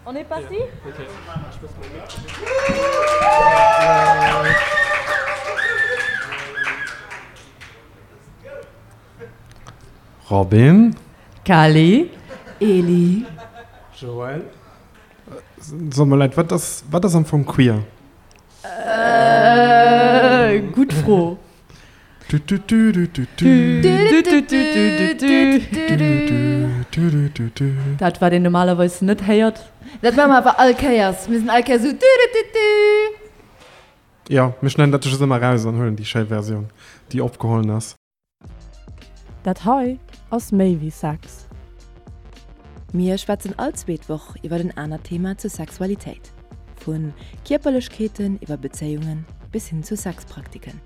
On est parti? Robin. Kali. Eli. Joël. Sot mer Leit, wat ass, wat ass am Fong queer? Gutt Fro. Dat wat een normalerweis net héiert. Dat maache mer awer all Kéiers. Mir sinn all Kéiers esou du-du-du-du. Jo, mir schneiden dat just ëmmer eraus an huelen déi schéi Versioun, déi opgehollen ass. Dat hei ass méi wéi Sex. Mir schwätzen all zweet Woch iwwer en anert Thema zur Sexualitéit, vu Kierperlechkeeten iwwer Bezéiungen bis hin zu Sexpraktiken.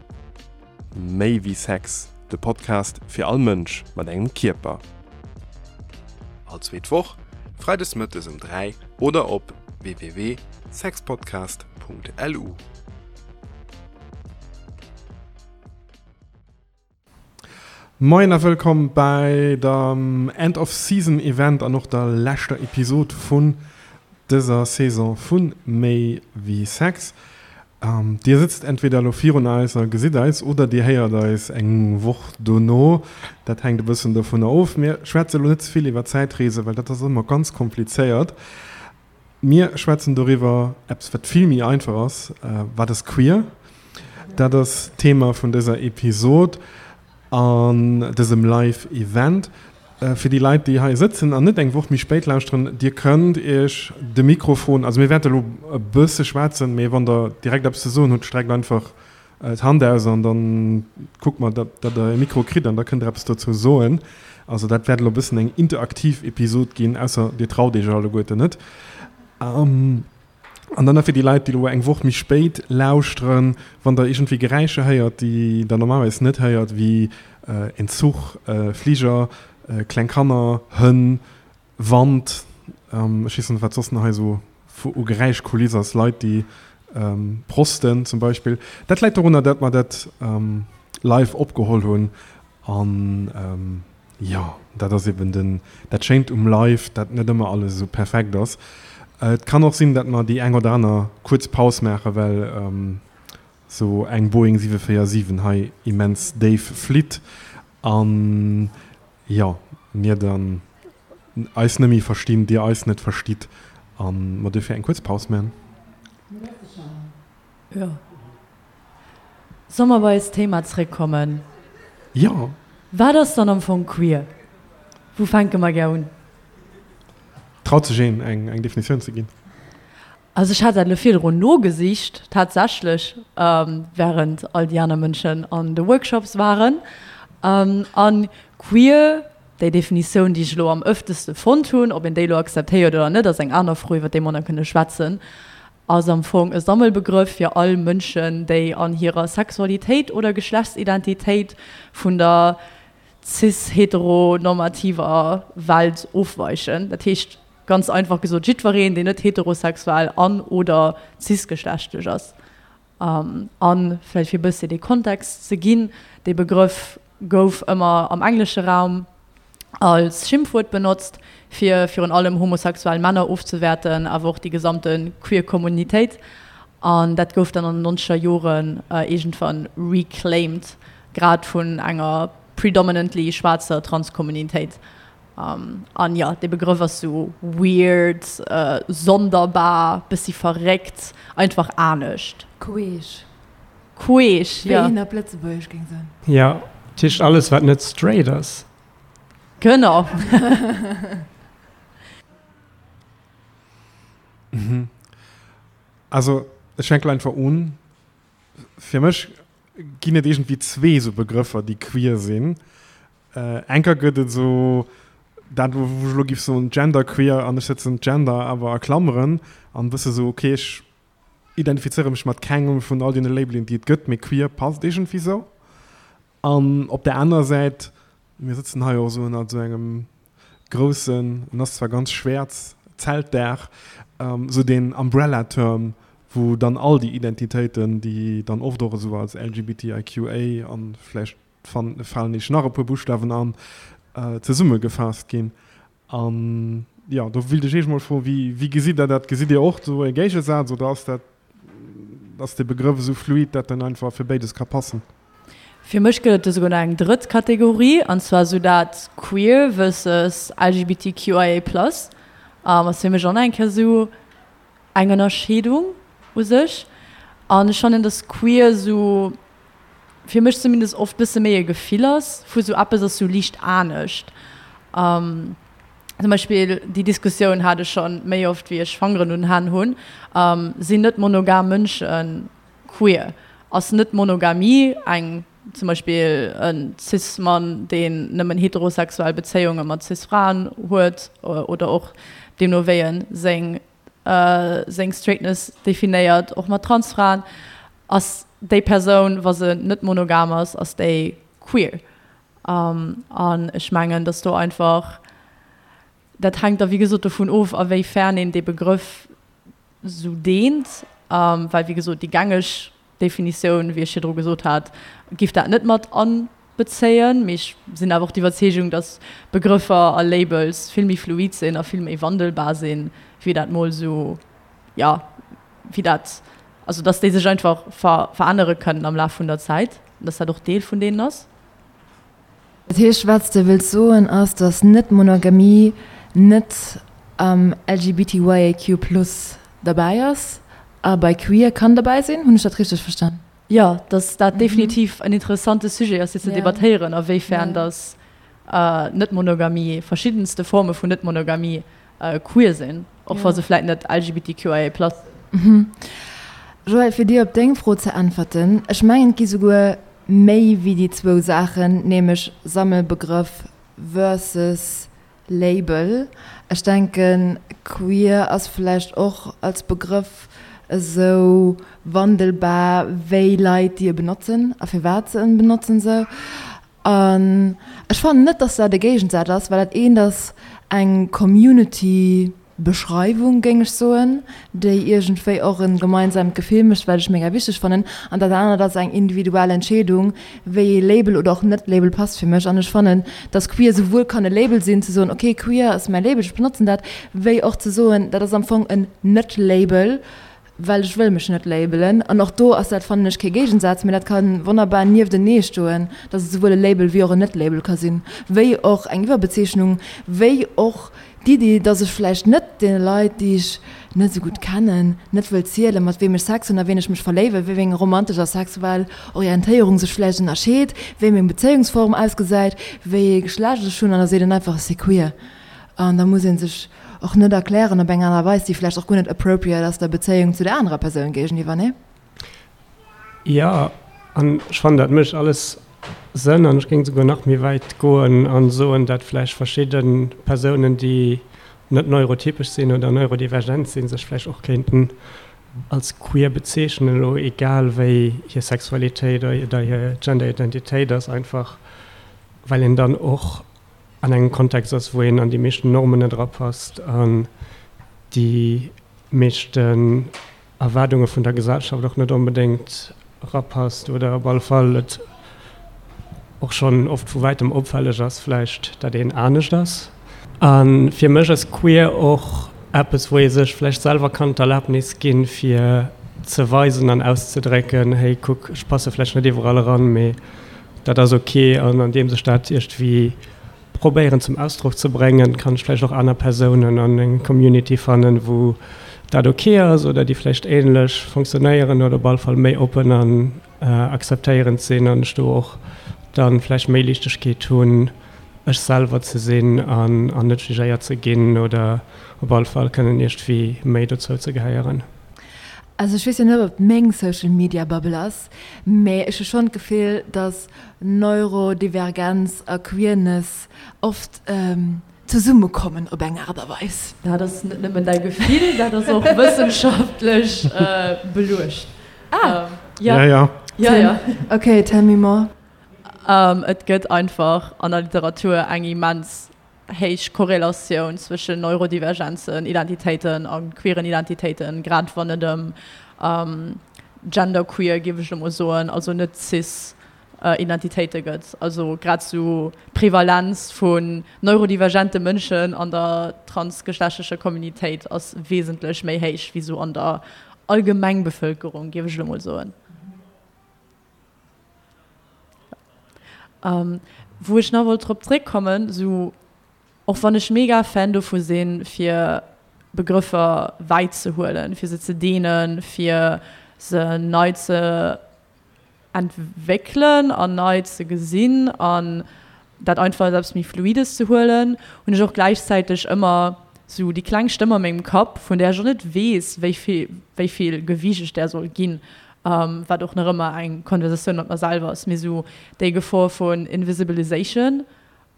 Méi wéi Sex, de Podcast fir all Mënsch mat engem Kierper. All zweet Woch, freides mëttes um 3 oder op www.sexpodcast.lu. Moien a wëllkomm bäi dem End of Season Event an och der leschter Episod vun dëser Saison vu Méi wéi Sex. Dir sëtzt entweder elo virun eis a gesitt eis oder dir héiert eis eng Woch dono. Dat hänkt e bëssen dovunner of. Mir schwätze elo net ze vill iwwer Zäitreese well dat ass ëmmer ganz komplizéiert. Mir schwätzen doriwwer, eppes wat vill méi einfach ass, Wat ass queer? Dat ass d'Thema vun dëser Episod an dësem Live Event. Fir déi Leit, déi hei sëtzen an net eng Woch méi spéit lauschteren, Dir kënnt Iech de Mikrofon, also mir wäerte elo e bësse schwätzen, mee wann der direkt eppes ze soen hutt, streckt einfach d'Hand aus an dann kucke mer, datt der e Mikro kritt an da kënnt der eppes dozou soen. Also dat wäert elo e bëssen eng interaktiv Episod ginn, ausser dir traut iech alleguerten net. An dann nach fir déi Leit, déi elo eng Woch méi spéit lauschteren, wann der iergendwéi Geräischer héiert, déi der normalerweis net héiert, wéi en Zuch, e Fliger, kleng Kanner, Hënn, Wand, ech weess net wat soss nach hei esou u Geräischkuliss ass, Leit déi prosten zum Beispill. Dat läit dorunner, dat mer dat live opgeholl hunn an jo, dat ass eben den dat Schéint um Live, dat net ëmmer alles esou perfekt ass. Et kann och sinn, dat mer déi eng oder aner kuerz Paus maachen, well esou eng Boeing 747 hei immens déif flitt An jo, mir dann eis net méi verstinn, dir eis net verstitt an mer duerfir eng kuerz Paus man. Jo. Soll mer bei eist Thema zréckkommen? Jo. Wat ass dann am Fong queer? Wou fänke mer gär un? Traut sech een, eng Definitioun ze ginn? Also ech hat dat elo virdrun nogesicht, tatsächlech, während all déi aner Mënschen an de Workshops waren. An queer, déi Definitioun, déi ech elo am ëfteste fonnt hunn, ob een déi elo akzeptéiert oder net, ass eng aner Fro, iwwer déi mer nach kënne schwätzen, ass am Fong e Sammelbegrëff fir all Mënschen, déi an hirer Sexualitéit oder Geschlechtsidentitéit vun der cis-heteronormativer Welt ofweichen. Dat heescht, Ganz einfach gesot, jiddwereen, deen net heterosexuell an oder cisgeschlechtlech ass. An vläicht fir e bëssi dee Kontext ze ginn, dee Begrëff gouf ëmmer am englesche Raum als Schimpfwuert benotzt, fir virun allem homosexuell Männer ofzewäerten, awer och déi gesamte queer Kommunitéit. An dat gouf dann an den nonzeger Joren iergendwann reclaimed, grad vun enger predominantly schwaarzer Transkommunitéit. An jo, dee Begrëff ass sou weird, sonderbar, bëssi verréckt, einfach anescht. Queesch. Queesch, jo. Wéi een op Lëtzebuergesch géing soen. Jo, dat heescht alles, wat net straight ass. Genau. Also, ech fänken einfach un. Fir mech ginn et iergendwéi zwee sou Begrëffer, déi queer sinn. Enker gëtt et esou dat, wou ech elo géif soen genderqueer, an ech setzen gender awer a Klammeren an e bësse sou, okay, ech identifizéiere mech mat kengem vun all deene Labelen, déi et gëtt, mee queer passt iergendwéi sou. An op där anerer Säit, mir sëtzen hei och esou ënnert esou engem groussen, en ass zwar ganz schwäerz, Zeltdaach, esou deen Umbrella-Term, wou dann all déi Identitéiten, déi dann oft och esou als LGBTIQA an vläicht falen iech nach e puer Buschtawen an, zesummegefaasst ginn. An. Jo, do wéilt ech Iech mol froen, wéi, wéi gesitt Der dat? Gesitt Dir och do e Géigesaz oder ass dat, ass dee Begrëff esou fluid, dat en einfach fir béides ka passen? Fir mech gëtt et do souguer nach eng drëtt Kategorie, an zwar esou dat queer versus LGBTQIA plus. Ass fir mech och nach eng Kéier esou eng Ënnerscheedung u sech. An ech fannen, dass queer esou fir mech zumindest oft bësse méi e Gefill ass vu sou eppes ass sou liicht anescht. Zum Beispill déi Diskussioun hat ech scho méi oft wéi ech Fangeren un den Hänn hunn, Sinn net monogam Mënsche queer? Ass net Monogamie eng, zum Beispill e Cis-Mann deen nëmmen heterosexuell Bezéiunge mat Cis-Fraen huet oder och deemno wéi e seng seng Straightness definéiert, och mat Transfraen, ass déi Persoun, wa se net monogam ass, ass déi queer. An ech mengen, datt do einfach, dat hänkt da wéi gesot dovun of, a wéi fern een dee Begrëff esou deent, well wéi gesot déi gängeg Definitioun, wéi ech virdru gesot hat, giff dat net mat anbezéien. Mee ech sinn awer och d'Iwwerzeegung, datt Begrëffer a Labels vill méi fluid sinn a vill méi wandelbar sinn, wéi dat mol esou, jo, wéi dat, also datt déi sech einfach verännere kënnen am Laf vun der Zäit an datt dat och Deel vun deenen ass. Dat heescht, wat s de wëlls soen, ass, datt Net-Monogamie net am LGBTYAQ plus derbäi ass a bei queer kann derbäi sinn? Hunn ech dat richteg verstan? Jo, datt dat definitiv en interessante Sujet ass fir ze debattéieren, a wéifern datt Net-Monogamie, verschiddenste Forme vun Net-Monogamie queer sinn, och wa se vläit net LGBTQIA plus sinn. Joël, fir dir op deng Fro ze äntwerten, ech mengen, et gi souguer méi wéi déi zwou Saachen, nämlech Sammelbegrëff versus Label. Ech denken, queer ass vläicht och als Begrëff esou wandelbar wéi Leit, déi e benotzen a firwat se en benotzen esou. An ech fannen net, dass dat e Géigensaz ass, well dat eent ass eng Community. Beschreiwung, géing ech soen, déi iergendwéi och e gemeinsamt Gefill mécht, wat ech mega wichteg fannen. An dat anert ass eng individuell Entscheedung, wéi ee Label oder och net-Label passt fir mech. An ech fannen, dass queer souwuel kann e Label sinn, ze soen, okay, queer ass mäi Label, ech benotzen dat, wéi och ze soen, dat ass am Fong en Net-Label, well ech wëll mech net labelen. An och do ass dat, fannen ech, kee Géigensaz, mee dat ka wonnerbar nieftenee stoen, dass et souwuel e Label wéi och en Net-Label ka sinn, wéi och eng Iwwerbezeechnung, wéi och d'Iddi, dass ech vläicht net deene Leit, déi ech net esou gutt kennen, net wëll zielen, mat weem ech Sex hunn a ween ech mech verléiwen, wéi meng romantesch a sexuell Orientéierung sech vläicht ënnerscheet, wéi meng Bezéiungsform ausgesäit, wéi ee Geschlecht ech hunn, an da seet een einfach, ech si queer. An da muss ee sech och net erklären op eng aner Weis, déi vläicht och guer net appropriate ass der Bezéiung zu der anerer Persoun géigeniwwer, nee? Jo, an ech fannen, dat mécht alles Sënn. An ech géing souguer nach méi wäit goen a soen, dat vläicht verschidde Persounen, déi net neurotypesch sinn oder neurodivergent sinn, sech vläicht och kéinten als queer bezeechnen, elo egal wéi hir Sexualitéit oder hir Genderidentitéit ass, einfach well een dann och an engem Kontext ass, wou een an déi meeschten Normen net erapasst an déi meeschten Erwaardunge vun der Gesellschaft och net onbedéngt erapasst oder op alle Fall et och schonn oft vu wäitem opfälleg ass vläicht, dat een anescht ass. A fir mech ass queer och eppes, wou ee sech vläicht selwer kann d'Erlaabnis ginn, fir ze weisen an auszedrécken, hey kuck, ech passe vläicht net iwwerall eran, mee dat ass ok an andeems ech dat iergendwéi probéieren zum Ausdrock ze bréngen, kann ech vläicht och aner Persounen an eng Community fannen, wou dat ok ass oder déi vläicht ähnlech fonctionnéieren oder op alle Fall méi oppen an akzeptéierend sinn an ech do och dann vläicht méi Liichtegkeet hunn, ech selwer ze sinn an an net jugéiert ze ginn oder op alle Fall kënnen iergendwéi méi dozou ze gehéieren. Also ech weess jo net, ob et meng Social Media Bubble ass, Mee ech hu schonn d'Gefill, dass Neurodivergenz a Queerness oft zesummekommen op eng Aart a Weis. Dat ass net nëmmen däi Gefill, dat ass och wëssenschaftlech beluecht. Ah! Ja, ja. Ja, ja. Ok, tell me more. Et gëtt einfach an der Literatur eng immens héich Korrelatioun zwëschen Neurodivergenzen, Identitéiten a queeren Identitéiten, grad wann et ëm genderqueer, géif ech elo mol soen, also net cis. Identitéite gëtt. Also grad sou d'Prevalenz vun neurodivergente Mënschen an der transgeschlechtlecher Communitéit ass wesentlech méi héich wéi sou an der Allgemengbevëlkerung, géif ech elo mol soen. Wou ech nach wollt drop zréckkommen, sou och wann ech mega Fan dovu sinn, fir Begrëffer wäit ze huelen, fir se ze deenen, fir se nei ze entwéckelen an nei ze gesinn an dat einfach als eppes méi Fluides ze huelen, hunn ech och gläichzäiteg ëmmer sou déi kleng Stëmm a mengem Kapp, vun där ech och net weess, wéi vill, wéi vill Gewiicht ech där soll ginn, wat och nach ëmmer eng Konversatioun mat mer selwer ass, mee sou déi Gefor vun Invisibilisation,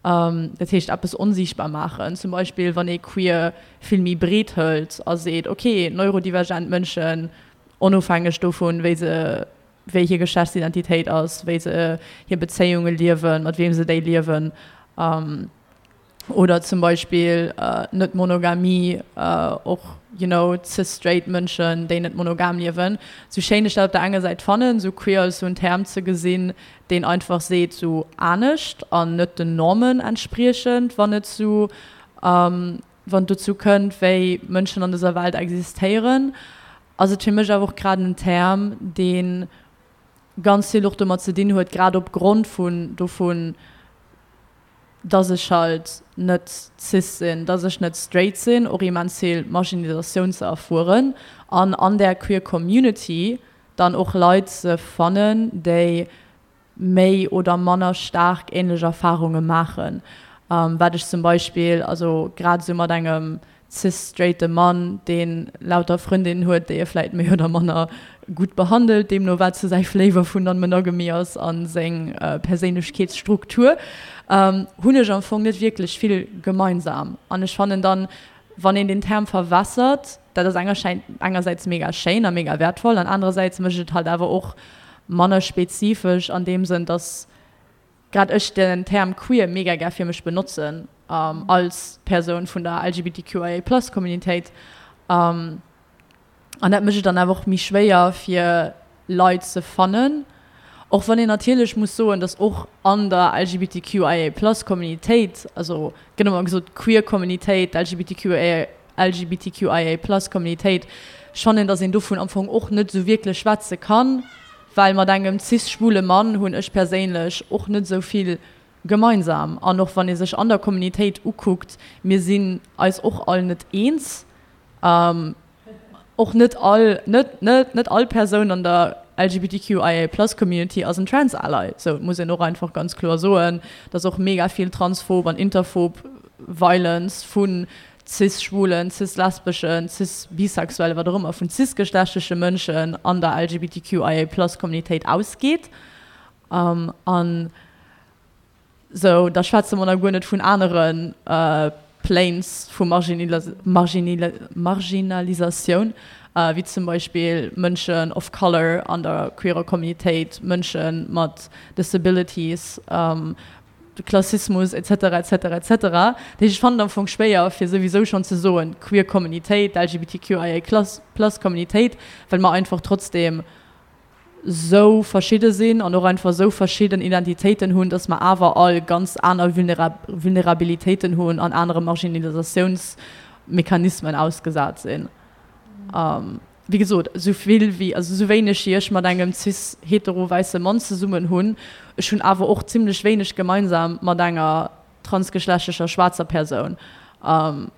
dat heescht eppes onsiichtbar maachen, zum Beispill wann ee queer vill méi breet hëlt a seet, ok, neurodivergent Mënschen, onofhängeg dovun, wéi se, wéi hir Geschlechtsidentitéit ass, wéi se hir Bezéiunge liewen, mat weem se déi liewen, oder zum Beispill Net-Monogamie, och, you know, cis-straight Mënschen, déi net monogam liewen. Sou schéin ech dat op der enger Säit fannen, sou queer als sou en Term ze gesinn, deen einfach seet, sou anescht an net den Normen entspriechend, wann et zu, wann et dozou kënnt, wéi Mënschen an dëser Welt existéieren, ass et fir mech awer och grad en Term, dee ganz vill och domat ze dinn huet, grad opgrond vun dovun, dass ech halt net cis sinn, dass ech net straight sinn, och immens vill Marginalisatioun ze erfueren an an där queer Community dann och Leit ze fannen, déi méi oder manner staark änlech Erfarunge maachen. Wat ech zum Beispill, also grad esou mat engem cis-straighte Mann, dee lauter Frëndinnen huet, déi e vläit méi oder manner gutt behandelt, deemno wat sou säi Flavor vun Non-Monogamy ass a seng Perséinlechkeetsstruktur, hunn ech am Fong net wierklech vill gemeinsam. An ech fannen dann, wann een den Term verwässert, dat ass engersäits mega schéin a mega wäertvoll an anerersäits mécht et halt awer och manner spezifesch an deem Sënn, dass grad ech den Term queer mega gär fir mech benotzen als Persoun vun der LGBTQIA plus Communitéit. An dat mécht et dann awer och méi schwéier fir Leit ze fannen. Och wann een natierlech muss soen, dass och an der LGBTQIA plus Communitéit, also gëtt ëmmer gesot queer Communitéit, LGBTQIA, LGBTQIA plus Communitéit, ech fannen, dass een dovun am Fong och net esou wierklech schwätze kann, well mat engem cis-schwule Mann hunn ech perséinlech och net esou vill gemeinsam. An och wann ee sech an der Communitéit ukuckt, mir sinn eis och all net eens. Och net all, net, net, net all Persoun an der LGBTQIA plus Community ass en Trans Ally. Sou, et muss een och einfach ganz kloer soen, dass och mega vill transphob an interphob Violence vu cis-schwulen, cis-lesbeschen, cis-bisexuellen, wat och ëmmer, vun cis-geschlechtleche Mënschen an der LGBTQIA plus Communitéit ausgeet. An Sou, da schwätze mer nach guer net vun anere Planes vu Marginalisatioun, wéi zum Beispill Mënschen of Color an der queerer Communitéit, Mënsche mat Disabilities, Klassismus et cetera, et cetera, et cetera. Dat heescht, ech fannen et am Fong schwéier, fir souwisou schonn ze soen, queer Communitéit, LGBTQIA plus Communitéit, well mer einfach trotzdeem sou verschidde sinn an och einfach sou verschidden Identitéiten hunn, dass mer awer all ganz aner Vulnerabilitéiten hunn an anere Marginalisatiounsmechanismen ausgesat sinn. Wéi gesot, sou vill wéi, also sou wéineg wéi ech mat engem cis-hetero wäisse Mann zesummen hunn, ech hunn awer och zimlech wéineg gemeinsam mat enger transgeschlechtlecher schwaarzer Persoun. An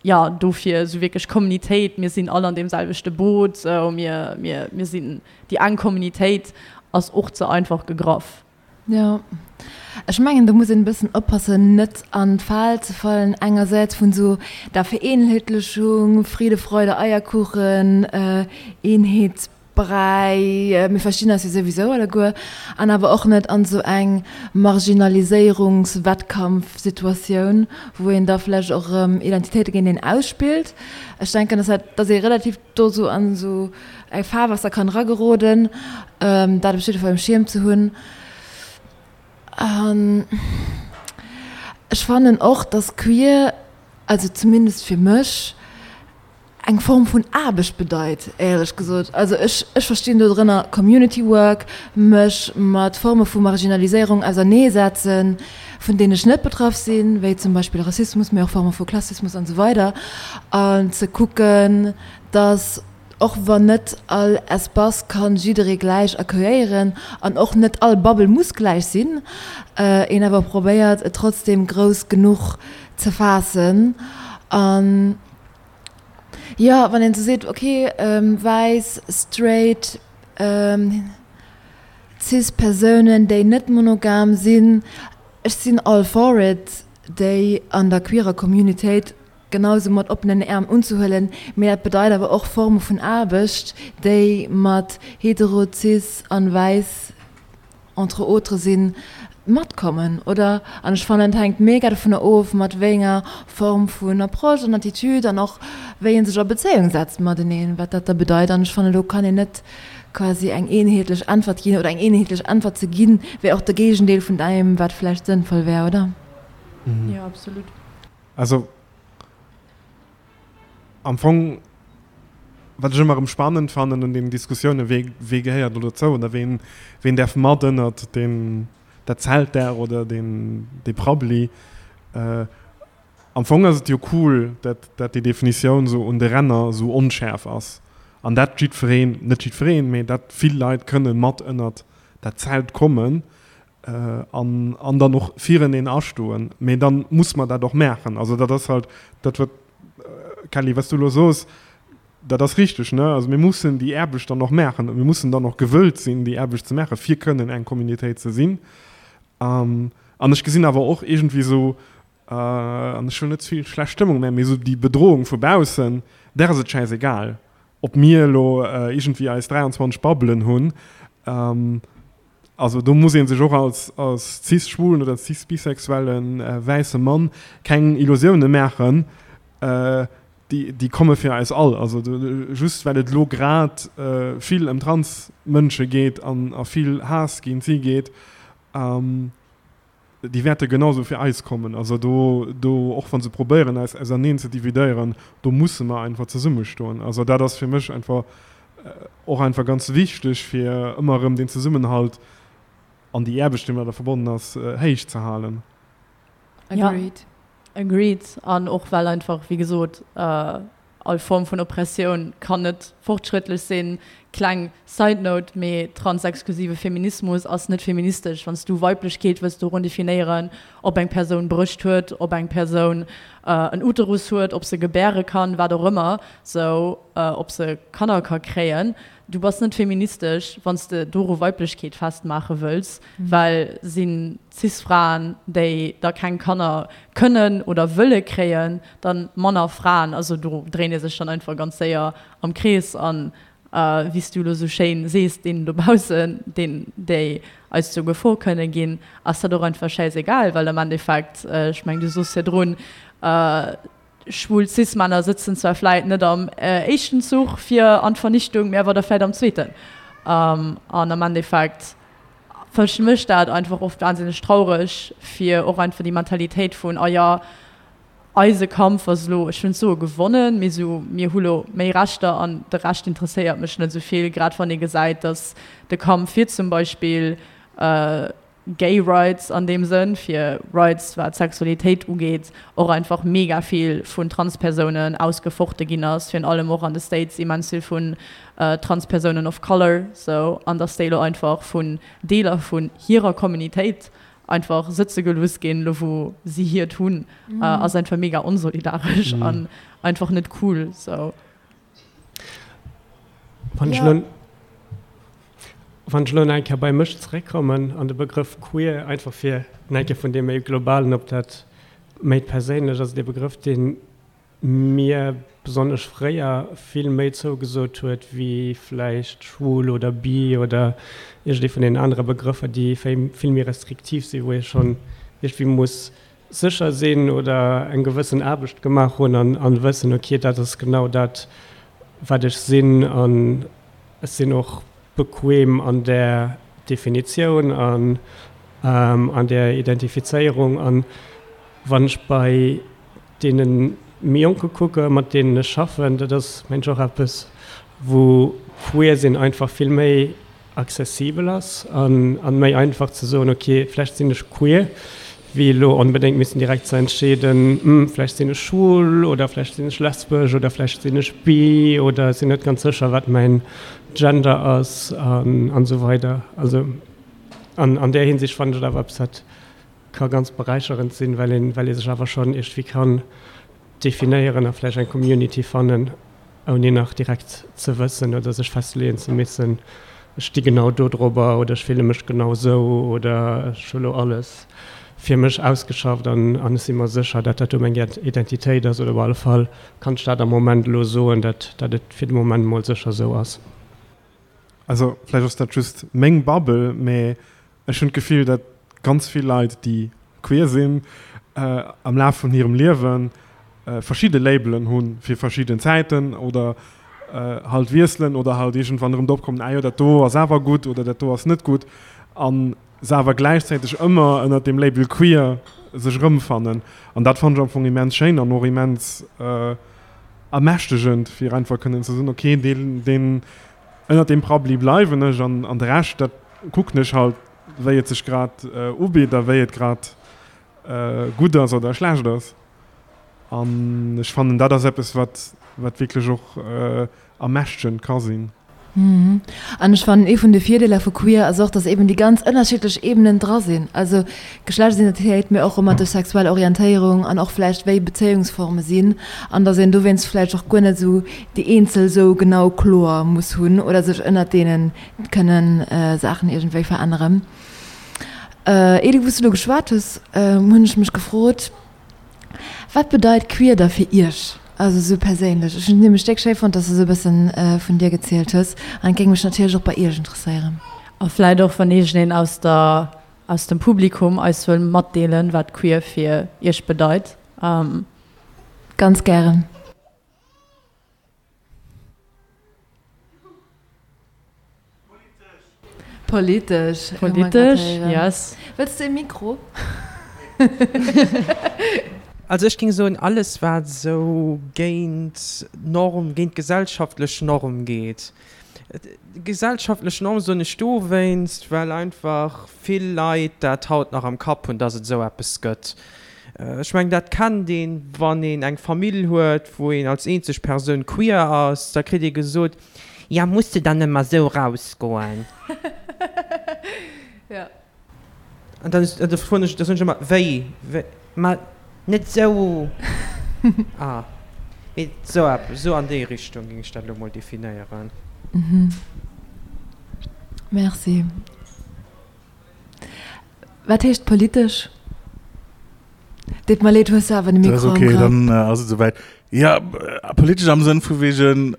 jo, dofir esou wierklech Communitéit, mir sinn all an deem selwechte Boot, esou mir, mir, mir sinn déi eng Communitéit, ass och ze einfach gegraff. Jo, ech mengen do muss een e bëssen oppassen net an d'Fal ze fallen, engersäits vun esou der Vereenheetlechung, Friede, Freude, Eierkuchen, Eenheets. Bräi, mir verstinn eis jo souwisou alleguer, an awer och net an esou eng Marginaliséierungswettkampfsituatioun, wou een da vläicht och erëm Identitéite géint een ausspillt. Ech denken, dass dat, dass ee relativ do esou an esou eng Fahrwasser kann erageroden, dat op jidde Fall um Schierm ze hunn. An ech fannen och, dass queer, also zumindest fir mech, Eng Form vun Aarbecht bedeit, éierlech gesot. Also ech, ech verstinn do drënner Community Work, mech mat Forme vu Marginaliséierung auserneesetzen, vun deenen ech net betraff sinn, wéi zum Beispill Rassismus, mee och Forme vu Klassismus an esou weider, an ze kucken, dass, och wann net all Espace kann jidderee gläich accueilléieren an och net all Bubble muss gläich sinn, een awer probéiert, et trotzdem grouss genuch ze faassen. An Jo, wann een sou seet, ok, wäiss, straight, cis Persounen, déi net monogam sinn, ech sinn all for it, déi an der queerer Communitéit genau sou mat oppenen Äerm unzehuelen, mee dat bedeit awer och Forme vun Aarbecht, déi mat hetero, cis an wäiss entre autres sinn, matkommen, oder? An ech fannen, et hänkt mega dovunner of, mat wéi enger Form vun Approche an Attitude an och wéi ee sech a Bezéiung setzt mateneen, wat dat da bedeit. An ech fannen, do kann een net quasi eng eenheetlech Äntwert ginn, oder eng eenheetlech Äntwert ze ginn, wär och de Géigendeel vun deem, wat vläicht sënnvoll wär, oder? Jo, absolut. Also am Fong, wat ech ëmmer erëm spannend fannen un deenen Diskussiounen, wee, wee gehéiert elo dozou oder ween, ween däerf mat ënnert deen, dat Zelt där oder deen, dee Prabbeli. Am Fong ass et jo cool, dat, dat déi Definitioun esou un de Ränner esou onschäerf ass an dat jiddwereen, net jiddwereen, mee dat vill Leit kënne mat ënnert dat Zelt kommen an, an dann och fireneen astoen. Mee dann muss mer dat och maachen. Also dat ass halt dat, wat, Kelly, wat s du elo soos, dat ass richteg, ne? Also mir mussen déi Aarbecht dann och maachen a mir mussen dann och gewëllt sinn, déi Aarbecht ze maachen, fir kënnen eng Communautéit ze sinn. An ech gesinn awer och iergendwéi esou, an ech wëll net ze vill schlecht Stëmmung maachen, mee esou déi Bedrohung vu baussen, där ass et schäisegal, ob mir elo iergendwéi eis 23 Bubbelen hunn. Also do muss ee sech och als als cis-schwulen oder cis-bisexuelle wäisse Mann keng Illusioune maachen, déi déi komme fir eis all. Also just well et elo grad vill ëm Trans-Mënsche geet an a vill Haass géint si geet, Déi wäerte genau sou fir eis kommen. Also do, do, och wa se probéieren eis auserneen ze dividéieren, do musse mer einfach zesummestoen. Also dat ass fir mech einfach och einfach ganz wichteg, fir ëmmer erëm deen Zesummenhalt an déi Aarbecht, déi domadder verbonnen ass, héich ze halen. Agreed. Ja, agreed. An och well einfach, wéi gesot, All Form vun Oppressioun kann net fortschrëttlech sinn. Kleng Side Note, mee transexklusive Feminismus ass net feministesch. Wann s du Weiblechkeet wëlls dorun definéieren, ob eng Persoun Brëscht huet, ob eng Persoun en Uterus huet, ob se gebäre kann, wat och ëmmer, sou ob se Kanner ka kréien, du bass net feministesch, wann s de doru Weiblechkeet festmaache wëlls, well sinn Cis-Fraen, déi da keng Kanner kënnen oder wëlle kréien, dann manner Fraen, also do dréint ee sech dann einfach ganz séier am Krees an wéi s du elo sou schéin sees, deenen dobaussen, deen, déi eis zur Gefor kënne ginn, ass dat och einfach schäisegal, well am Endeffekt, ech meng du soos virdrun, schwul Cis-Männer sëtzen zwar vläit net am éischten Zuch fir an d'Vernichtung, mee awer da vläit am zweeten an am Endeffekt mécht dat einfach oft wahnsinneg traureg, fir och einfach déi Mentalitéit vun, ah jo, Eise Kampf ass elo, ech wëll net soe gewonnen, mee esou, mir hu lo méi Rechter an de Rescht interesséiert mech net esou vill, grad wann ee gesäit, datt de Kampf fir zum Beispill Gay Rights an deem Sënn, fir Rights wat d'Sexualitéit ugeet, och einfach mega vill vun Transpersounen ausgefochte ginn ass, virun allem och an de States immens vill vun Transpersounen of Color, sou, an datt déi elo einfach vun Deeler vun hirer Communitéit einfach sëtze gelooss ginn, lo wou si hiert hunn, ass einfach mega onsolidaresch an einfach net cool sou. Wann ech lo, wann ech lo nach eng Kéier bei mech zeréckkommen an de Begrëff queer, einfach fir nach eng Kéier vun deem méi globalen op dat méi perséinlecht, also dee Begrëff, deen mir besonnesch fréier vill méi zougesot huet wéi vläicht schwul oder bi oder iergendee vun deenen anere Begrëffer, déi vill méi restriktiv sinn, wou ee schonn iergendwéi muss sécher sinn oder eng gewëssen Aarbecht gemaach hunn an wëssen, ok, dat ass genau dat, wat ech sinn an ech sinn och bequem an där Definitioun an an där Identifizéierung. An wann ech bei deenen. méi Jonke kucke mat deenen ech schaffen, dat ass mengen ech och eppes wou queer sinn einfach vill méi accessibel ass an méi einfach ze soen, ok vläicht sinn ech queer, wéi elo onbedéngt missen direkt ze entscheeden, hm vläicht sinn ech schwul oder vläicht sinn ech lesbesch oder vläicht sinn ech bi oder ech sinn net ganz sécher wat mäin Gender ass an esou weider. Also an an där Hinsicht fannen ech et awer eppes wat ka ganz beräicherend sinn, well een well ee sech awer schonn iergendwéi kann definéieren a vläicht eng Community fannen, ouni nach direkt ze wëssen oder sech festleeën ze missen, ech sti genau do drobber oder ech fille mech genau esou oder ech hu lo alles fir mech ausgeschafft an an ech si mer sécher, dat dat do meng Identitéit ass oder op alle Fall kann ech dat am Moment elo soen, dat dat et fir de Moment mol sécher esou ass. Also vläicht ass dat just meng Bubble, mä Ech hunn d'Gefill, datt ganz vill Leit, déi queer sinn, am Laf vun hirem Liewe verschidde Labelen hu fir verschidden Zäiten oder halt wiesselen oder halt iergendwann erëm drop kommen, ah jo, dat do ass awer gutt oder dat do ass net gutt a se awer gläichzäiteg ëmmer ënnert deem Label queer sech erëmfannen. An dat fannen ech am Fong immens schéin an och immens ermächtegend, fir einfach kënnen ze soen, okay, deen, deen Ënnert deem Prabbeli bleiwen ech an de Rescht, dat kucken ech halt, wéi et sech grad ubitt a wéi et grad gutt ass oder schlecht ass. An ech fannen, dat ass eppes, wat wat wierklech och ermächtegend ka sinn. An ech fannen, ee vun de Virdeeler vu queer ass och, dass eben déi ganz ënnerschiddlech Ebenen dra sinn, also Geschlechtsidentitéit, mee och romantesch sexuell Orientéierung an och vläicht wéi Bezéiungsforme sinn an dass een dowéinst vläicht och guer net esou déi eenzel esou genau kloer muss hunn oder sech ënnert deene kënnen Saachen iergendwéi veränneren. Ely, wou s du elo geschwat hues, hunn ech mech gefrot, Wat bedeit queer da fir iech, also esou perséinlech? Ech hunn et nämlech déck schéi fonnt, dass du esou e bëssen vun dir gezielt hues an et géing mech natierlech och bei iech interesséieren. A vläit och wann iergendeen aus der aus dem Publikum eis wëll matdeelen, wat queer fir iech bedeit. Ganz gären. Politesch. Politesch, yes. Wëlls de e Mikro? Also ech géing soen, alles wat esou géint d'Norm, géint d'gesellschaftlech Norm geet. Gesellschaftlech Norm soen ech dowéinst, well einfach vill Leit dat haut nach am Kapp hunn, dass et esou eppes gëtt. Ech mengen, dat kennt een, wann een eng Famill huet, wou een als eenzeg Persoun queer ass, da kritt ee gesot, Ja, muss de dann ëmmer esou rausgoen? An dann da froen ech, da soen ech ëmmer, Wéi? Wéi? Ma net esou. Ah. Mee esou eppes, esou an déi Richtung géing ech dat elo mol definéieren. Merci. Wat heescht politesch? Deet mer leed, hues du awer de Mikro am Grapp. Ok, dann ass et esouwäit. Jo, politesch am Sënn vu wegen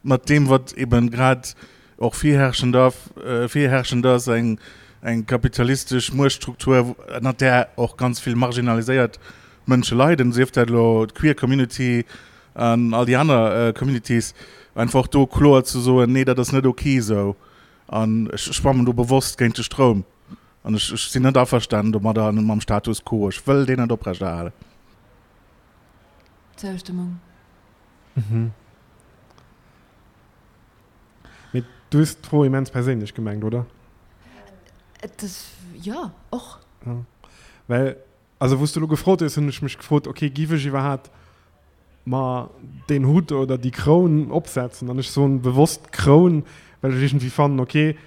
mat deem, wat eben grad och virherrschend virherrschend ass, eng eng kapitalistesch Muechtstruktur, ënnert där och ganz vill marginaliséiert Mënsche leiden, sief dat elo d'queer Community an all déi aner Communities, einfach do kloer ze soen, nee, dat ass net ok esou. An ech schwammen do bewosst géint de Stroum. An ech sinn net averstanen domadder an mam Status quo. Ech wëll deen net oprechterhalen. Zoustëmmung. Mee du hues d'Fro immens perséinlech gemengt, oder? Et ass, jo, och. Well, also wou s du elo gefrot hues, hunn ech mech gefrot, okay, giff ech iwwerhaapt mer deen Hutt oder déi Kroun opsetzen? An ech soen bewosst Kroun, well ech iergendwéi fannen, okay,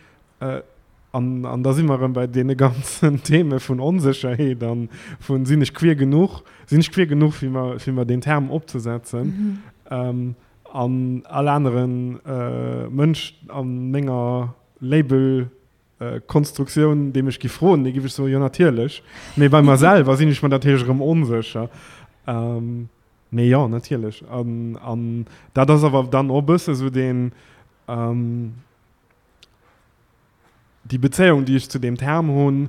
an, an da si mer erëm bei deene ganzen Theme vun Onsécherheet an vun sinn ech queer genuch, sinn ech queer genuch fir mer, fir mer deen Term opzesetzen? An all anere Mënsch a menger Label Konstruktioun, dee mech giff froen, dee giff ech soen, jo natierlech. Mee bei mer selwer sinn ech mer natierlech erëm onsécher. Mee jo, natierlech. An, an dat ass awer dann och e bësse sou deen, déi Bezéiung, déi ech zu deem Term hunn,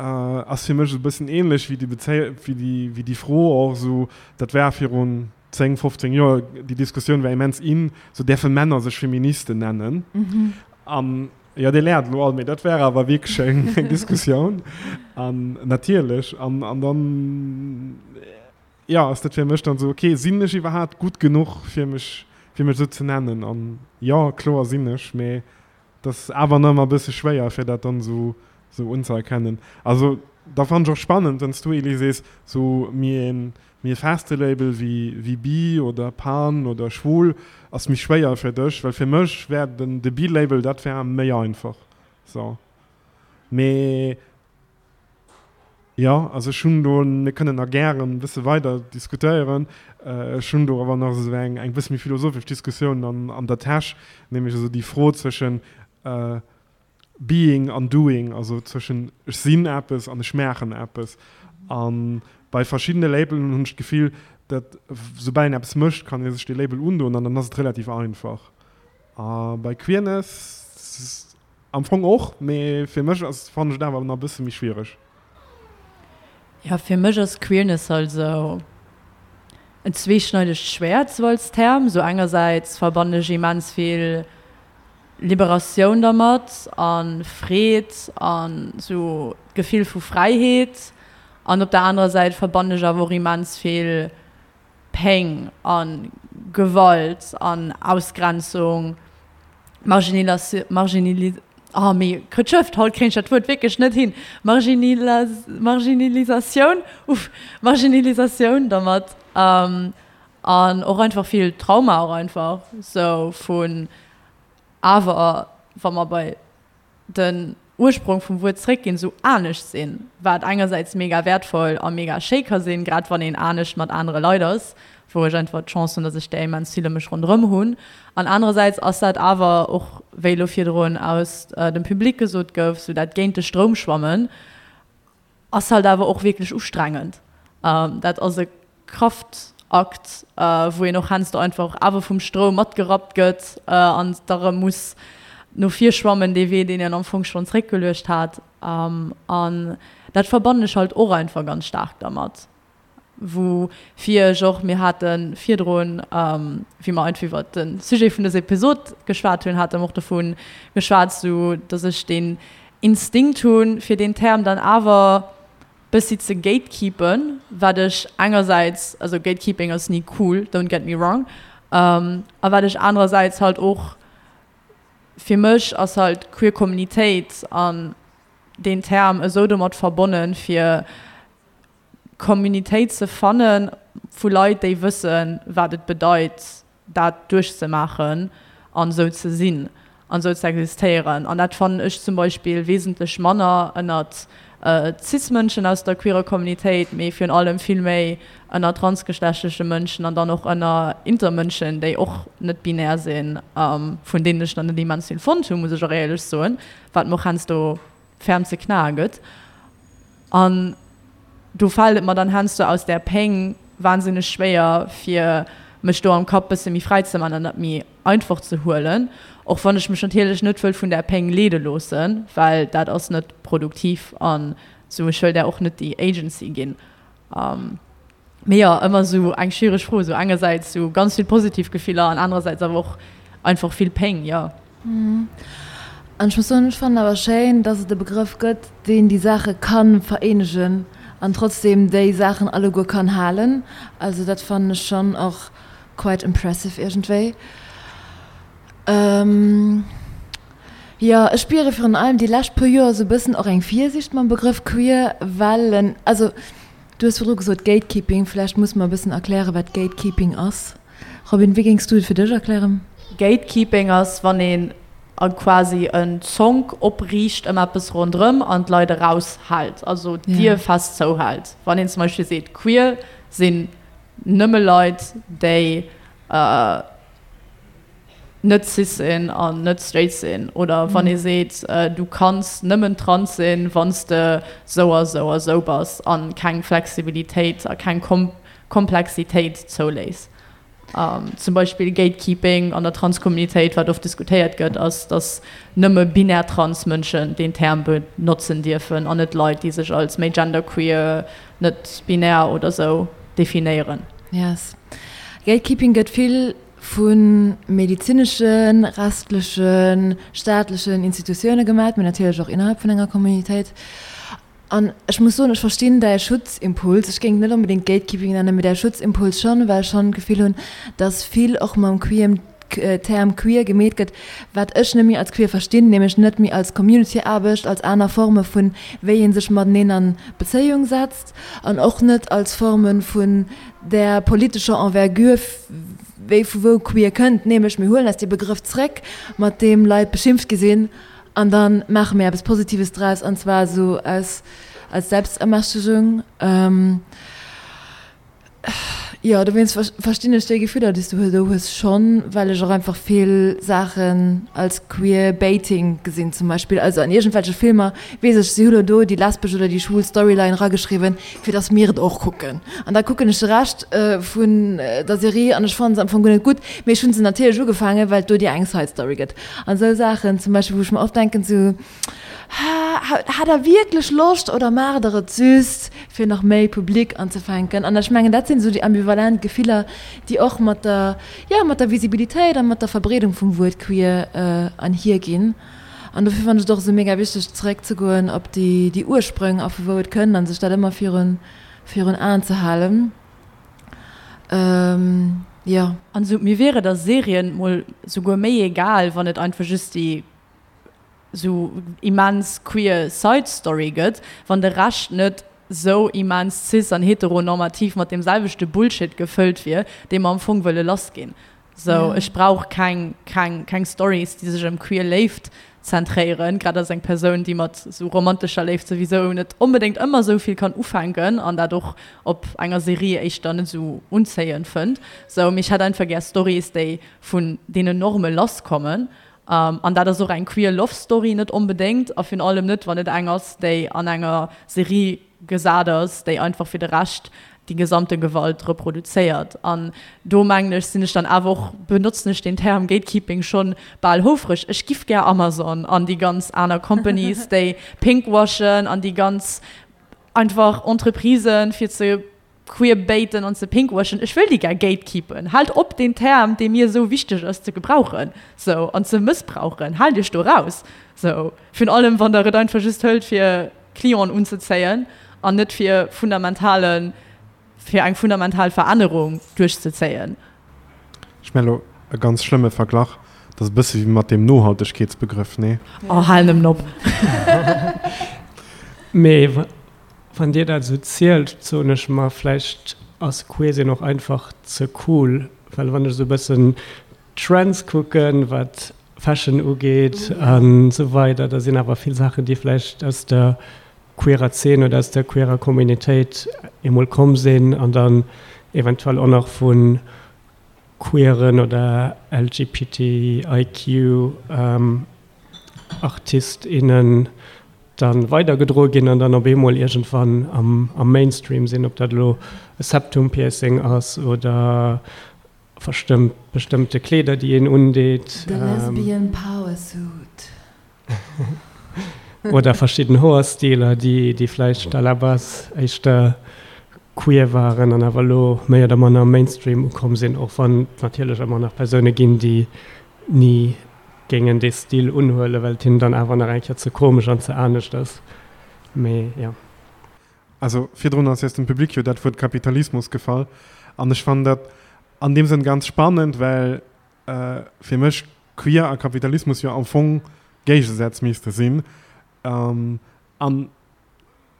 ass fir mech esou e bëssen ähnlech wéi déi Bezéi-, wéi déi, wéi déi Fro och esou, dat war virun 10, 15 Joer, déi Diskussioun war immens in, sou däerfe Männer sech Feministen nennen? An, jo, Dir laacht elo all, mee dat war awer wierklech eng Diskussioun. An natierlech, an, an dann. Jo, ass dat fir mech dann esou, ok, sinn ech iwwerhaapt gutt genuch fir mech, fir mech esou ze nennen? An jo, kloer sinn ech, mee et ass awer nach ëmmer e bësse schwéier fir dat dann esou, esou unzëerkennen. Also da fannen ech och spannend, wann s du, Elie, sees, esou méi e, méi e feste Label wéi, wéi bi oder pan oder schwul ass méi schwéier fir dech, well fir mech wär den, de bi-Label, dat wär méi einfach sou. Mee Jo, also ech hunn do, mir kënnen nach gären e bësse weider diskutéieren, ech hunn do awer nach esou eng eng bësse méi philosophesch Diskussioun an an der Täsch, nämlech esou déi Fro zwëschen Being an Doing, also zwëschen ech sinn eppes an ech maachen eppes. A bei verschiddene Labelen hunn ech d'Gefill, datt soubal een eppes mécht, kann ee sech dee Label undoen an dann ass et relativ einfach. A bei Queerness, Am Fong och, mee fir mech ass, fannen ech et awer nach e bësse méi schwiereg. Jo, fir mech ass Queerness halt esou en zweeschneidegt Schwäert, sou als Term. Sou engersäits verbannen ech immens vill Liberatioun dermat a Freed an sou d'Gefill vu Fräiheet an op der anerer Säit verbannen ech awer och immens vill Péng a Gewalt an Ausgrenzung, Marginalisatioun, oh mee Krëtschëft, haut kréien ech dat Wuert wierklech net hin, Marginilisatioun, uff, Marginilisatioun dermat an och einfach vill Trauma och einfach sou vun awer wa mer bei den Ursprong vum Wuert zréckginn, sou anescht sinn, wat engersäits mega wäertvoll a mega schéi ka sinn, grad wann een anescht mat anere Leit ass, wou ech einfach d'Chance hunn, datt ech där immens vill ëm mech ronderëm hunn. An anerersäits ass dat awer och, wéi elo virdrun aus dem Public gesot gouf, sou dat géint de Stroum schwammen, Ass halt awer och wierklech ustrengend. Dat ass e Kraftakt, wou een och heiansdo einfach awer vum Stroum matgerappt gëtt an da rëm muss no vir schwammen, dee Wee, deen een am Fong schonn zréckgeluecht hat. An dat verbannen ech halt och einfach ganz staark dermat. Woufir ech och, mir hate virdrun, wéi mer einfach iwwert de Sujet vun dëser Episod geschwat hunn, hate mer och dovu geschwat, sou datt ech deen Instinkt hunn, fir deen Term dann awer bëssi ze gatekeepen, wat ech engersäits, also gatekeeping ass ni cool, don't get me wrong, a wat ech anerersäits halt och, fir mech ass halt queer Communitéit an deen Term esou domat verbonnen, fir Communitéit ze fanne vu Leit, déi wëssen, wat et bedeit, dat duerchzemaachen an esou ze sinn an esou ze existéieren. An dat fannen ech zum Beispill wesentlech manner ënnert Cis-Mënschen aus der queerer Communitéit, mee virun allem vill méi ënner transgeschlechtleche Mënschen an dann och ënner Intermënschen, déi och net binär sinn, vun deenen ech nach net immens vill fonnt hunn, muss ech och éierlech soen, wat mer och heiansdo ferm ze knae gëtt. An do fält et mer dann heiansdo aus där Péng wahnsinneg schwéier, fir mech do am Kapp bësse méi fräi ze man an dat méi einfach ze huelen. Och wann ech mech natierlech net wëll vun där Péng leede loossen, well dat ass net produktiv an sou, ech wëll där och net déi Agency ginn. Mee jo, ëmmer esou eng schwiereg Fro, esou engersäits esou ganz vill positiv Gefiller an anerersäits awer och einfach vill Péng, jo. An ech muss soen, ech fannen awer schéin, dass et e Begrëff gëtt, deen déi Saache ka vereenegen an trotzdem déi Saachen alleguer kann halen. Also dat fannen ech schonn och quite impressive iergendwéi. Jo, ech spiere virun allem déi lescht puer Joer esou e bëssen och eng Virsiicht mam Begrëff queer, well en, also Du hues virdru gesot Gatekeeping, vläicht musse mer e bëssen erklären, wat Gatekeeping ass. Robin, wéi géings du et fir dech erklären? Gatekeeping ass, wann een a quasi en Zonk opriicht ëm eppes ronderëm an d'Leit eraushält, also d'Dier fest zouhält. Wann een zum Beispill seet, queer sinn nëmme Leit, déi net cis sinn an net straight sinn oder wann ee seet, du kanns nëmmen trans sinn, wann s de sou a sou a sou bass an keng Flexibilitéit a keng Komplexitéit zouléiss. Zum Beispill Gatekeeping an der Trans-Communitéit, wat oft diskutéiert gëtt, ass, datt nëmme binär trans Mënschen deen Term benotzen dierfen an net Leit, déi sech als méi genderqueer, net binär oder sou definéieren. Yes. Gatekeeping gëtt vill Vu medizineschen, rechtlechen, staatlechen Institutioune gemat, mee natierlech och innerhalb vun enger Communitéit. An ech muss soen, ech verstinn däi Schutzimpuls. Ech géing et net onbedéngt Gatekeeping nennen, mee däi Schutzimpuls schonn, well ech schonn d'Gefill hunn, dass vill och mam queerem Term queer gemeet gëtt, wat ech net méi als queer verstinn, nämlech net méi als Community-Aarbecht, als aner Forme vun wéi ee sech mateneen a Bezéiung setzt an och net als Forme vun där politescher Envergure, wéi vu wou queer kënnt, nämlech mir huelen eis dee Begrëff zréck, mat deem Leit beschimpft gi sinn. An da maache mir eppes Positives draus, an zwar esou aus als Selbstermächtegung. Jo, dowéinst verstinn ech déi Gefiller, déi s du do hues, schonn, well ech och einfach vill Saachen als Queer-Baiting gesinn zum Beispill. Also an iergendwelche Filmer weess ech, si hu lo do déi lesbesch oder déi schwul Storyline erageschriwwen, fir dass mir et och kucken. An da kucken ech de Rescht vun der Serie an ech fannen se am Fong guer net gutt, mee ech hunn se natierlech ugefaangen, well et do déi eng Side-Story gëtt. An esou Saachen zum Beispill, wou ech mer oft denken, sou, Hat der wierklech Loscht oder maacht der et just, fir nach méi Public anzefänken? An ech mengen, dat sinn esou déi ambivalent Gefiller, déi och mat der, jo, mat der Visibilitéit a mat der Verbreedung vum Wuert queer einhierginn. An dofir fannen ech et och esou mega wichteg, zeréckzegoen op déi, déi Ursprëng a vu wou et kënnt a sech dat ëmmer virun, virun Aen ze halen. Jo. An esou, mir wier et a Serien mol souguer méi egal, wann et einfach just déi sou immens queer Side Story gëtt, wann de Rescht net sou immens cis an heteronormativ mat deem selwechte Bullshit gefëllt wier, dee mer am Fong wëlle lass ginn. Sou, ech brauch keng, keng, keng Stories, déi sech ëm queer Léift zentréieren, grad als eng Persoun, déi mat sou romantescher Léift souwisou net onbedéngt ëmmer sou vill kann ufänken an dat och op enger Serie éischter net sou unzéiend fënnt. Sou, mee ech hätt einfach gär Stories, déi vun deenen Norme lasskommen. An dat ass och eng queer Love Story net onbedéngt a virun allem net, wann et eng ass, déi an enger Serie gesat ass, déi einfach fir de Rescht déi gesamte Gewalt reproduzéiert. An do mengen ech, sinn ech dann awer och, benotzen ech deen Term Gatekeeping schonn bal houfreg. Ech giff gär Amazon an déi ganz aner Companies, déi pinkwashen an déi ganz einfach Entreprisen, fir ze queerbaiten an ze pinkwashen, ech wëll déi gär gatekeepen. Haalt op deen Term, dee mir esou wichteg ass, ze gebrauchen sou an ze mëssbrauchen. Haalt iech do raus sou, virun allem wann der et einfach just hëlt fir Clienten unzezéien an net fir fundamentale fir eng fundamental Verännerung duerchzezéien. Ech maachen elo e ganz schlëmme Verglach, dat ass e bësse wéi mat deem Nohaltegkeetsbegrëff, nee? Oh, hal nëmmen op! Mee wann Dir dat esou zielt, soen ech mer, vläicht ass Queer-Sinn och einfach ze cool, well wann ech esou e bëssen d'Trends kucken, wat Fashion ugeet an esou weider, da sinn awer vill Saachen, déi vläicht aus der queerer Zeen oder aus der queerer Communitéit emol komm sinn an dann eventuell och nach vu queeren oder LGBTIQ Artist, innen da weidergedroe ginn an dann op eemol iergendwann am Mainstream sinn, ob dat elo e Septum-Piercing ass oder Verstëmmt bestëmmte Kleeder déi een undeet. The lesbian power suit. Oder verschidden Hoerstiler déi vläicht à la base éischter queer waren an awer elo méi oder manner am Mainstream ukomm sinn, och wann et natierlech ëmmer nach Persoune ginn déi ni géingen dee Stil unhuelen, well et hinnen dann awer nach eng Kéier ze komesch an ze anescht ass. Mee jo. Also virdrun ass aus dem Public jo dat Wuert Kapitalismus gefall an ech fannen dat an deem Sënn ganz spannend, well fir mech Queer a Kapitalismus jo am Fong Géigesätz misste sinn an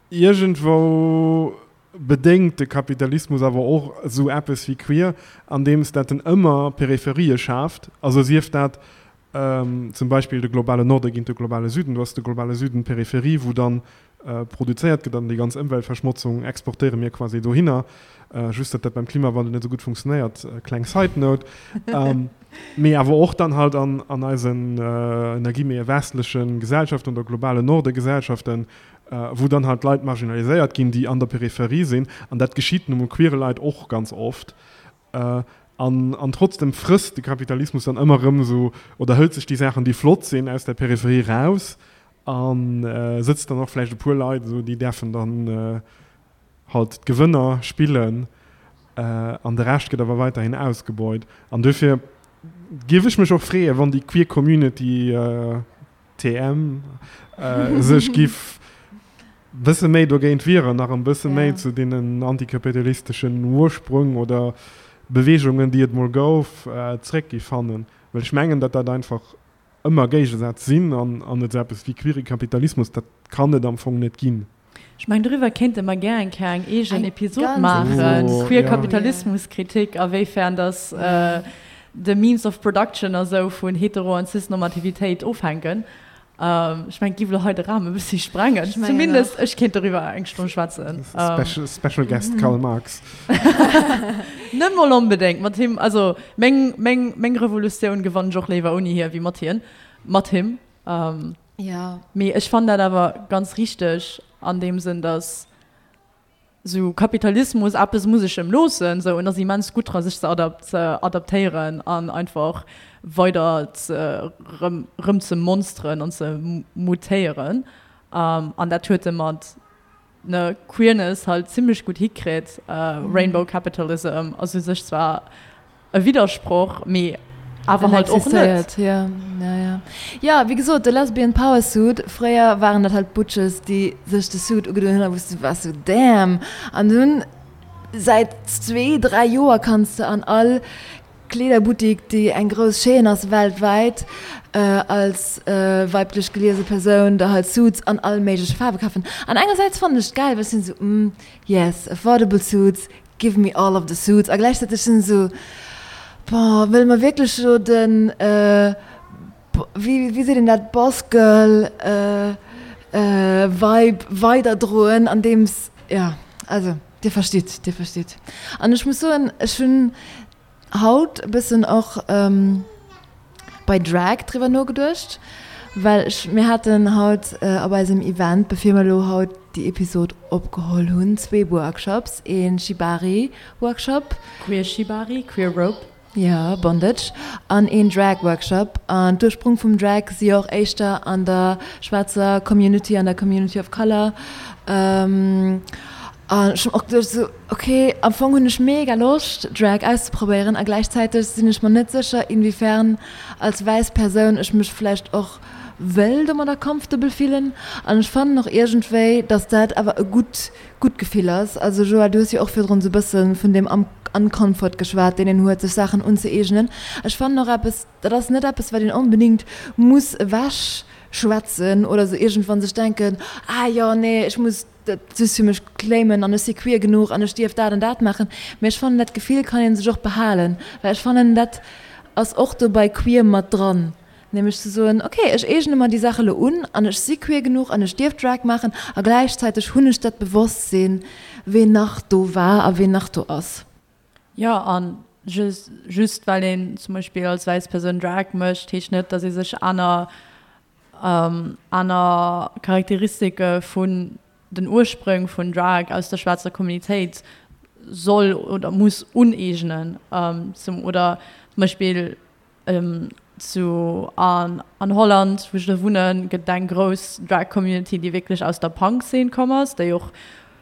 iergendwou bedéngt de Kapitalismus awer och esou eppes wéi Queer, andeems dat en ëmmer Peripherië schaaft, also sief dat Zum Beispill de globale Norde géint de globale Süden. Do ass de globale Süden d'Peripherie, wou dann produzéiert gëtt an déi ganz Ëmweltverschmotzung exportéiere mir quasi dohinner. Just datt dat beim Klimawandel net esou gutt funktionéiert, kleng Side note. Mee awer och dann halt an eisen, ënner Guillemete, westleche Gesellschaften oder globale Norde-Gesellschaften, wou dann halt Leit marginaliséiert ginn, déi an der Peripherie sinn. An dat geschitt nu mol queere Leit och ganz oft. An, an trotzdem frësst de Kapitalismus dann ëmmer erëm esou, oder hëlt sech déi Saachen, déi flott sinn, aus der Peripherie raus a sëtzt dann och vläicht e puer Leit esou, déi däerfen dann halt d'Gewënner spillen an de Rescht gëtt awer weiterhin ausgebeut. An duerfir géif ech mech och freeën, wann déi queer Community, TM, sech giff. Bësse méi dogéint wieren, nach en bësse méi zu deenen antikapitalisteschen Ursprung oder Beweegungen, déi et mol gouf, zréck gi fannen. Well ech mengen, datt dat einfach ëmmer Géigesätz sinn an an et esou eppes wéi queere Kapitalismus, dat kann et am Fong net ginn. Ech mengen, doriwwer kéinte mer gär eng Kéier eng eegen Episod maachen, queer Kapitalismuskritik, a wéifern datt de Means of Production a sou vun Hetero an Cis-Normativitéit ofhänken. Ech mengen, et giff elo hei de Rahmen e bëssi sprengen. Zumindest ech kéint doriwwer eng Stonn schwätzen. Special, special guest Karl Marx. Net mol onbedéngt mat him. Also meng, meng, meng Revolutioun gewann ech och léiwer ouni hie wéi mat hien, mat him. Ja. Mee ech fannen dat awer ganz richteg an deem Sënn, dass Sou Kapitalismus, eppes muss ech em loossen, sou en ass immens gutt dra sech ze ze adaptéieren an einfach weider ze rëm rëm ze monsteren an ze mutéieren. An dat huet e mat ne Queerness halt zimlech gutt hikritt. Rainbow Capitalism ass u sech zwar E Widdersproch, mee awer halt och net. Jo, jo, jo. Jo, wéi gesot, de Lesbian Power Suit, fréier waren dat halt Butches, déi sech de Suit ugedoen hunn a wou s du waars sou, damn! An dunn, säit zwee, dräi Joer kanns de an all Kleederbuttik, déi eng grouss Chaîne ass weltwäit, als weiblech geliese Persoun der halt Suits an all méigleche Faarwe kafen. An engersäits fannen ech et gäil, well ech sinn esou, mm, yes, affordable suits, Give me all of the suits a gläichzäiteg sinn se esou, boah, wëlle mer wierklech elo den, wéi wéi seet een dat, Boss Girl Vibe weiderdroen andeems, jo, also dir verstitt, dir verstitt. An ech muss soen, ech hunn haut e bëssen och bei Drag driwwer nogeduecht, well ech, mir haten haut op eisem Event, bevir mer elo haut déi Episod opgeholl hunn, zwee Workshops, ee Shibari Workshop. Queer Shibari, Queer Rope. Jo, Bondage, an een Drag Workshop. An d'Ursprung vum Drag si jo och éischter an der schwaarzer Community, an der Community of Color. An ech hunn och geduecht esou, ok, am Fong hunn ech mega Loscht Drag auszeprobéieren a gläichzäiteg sinn ech mer net sécher inwiefern als wäiss Persoun ech mech vläicht och wëll domadder comfortable fillen. An ech fannen och iergendwéi, datt dat awer e gutt gutt Gefill ass. Also Joël, du hues jo och virdrun esou e bësse vun deem Uncomfort geschwat, deen een huet, sech Saachen unzëeegnen. Ech fannen och eppes, dat ass net eppes, wat een onbedéngt muss ewech schwätzen oder esou iergendwann sech denken, ah jo, nee, ech muss dat just fir mech claimen an ech si queer genuch an ech dierf dat an dat maachen. Mee ech fannen, dat Gefill kann ee sech och behalen, well ech fannen, dat ass och do bei queer mat dran, nämlech ze soen, ok, ech eegne mer déi Saach elo un an ech si queer genuch an ech dierf Drag maachen a gläichzäiteg hunn ech dat Bewosstsinn, ween nach do war a ween nach do ass. Jo, a just well een zum Beispill als wäiss Persoun Drag mécht, heescht net, datt ee sech aner aner Charakteristike vun den Ursprünge vun Drag aus der schwaarzer Communitéit soll oder muss uneegnen. Zum oder zum Beispill zu an an Holland, wou ech elo wunnen, gëtt et eng grouss Drag Community, déi wierklech aus der Punk-Szene komm ass, déi och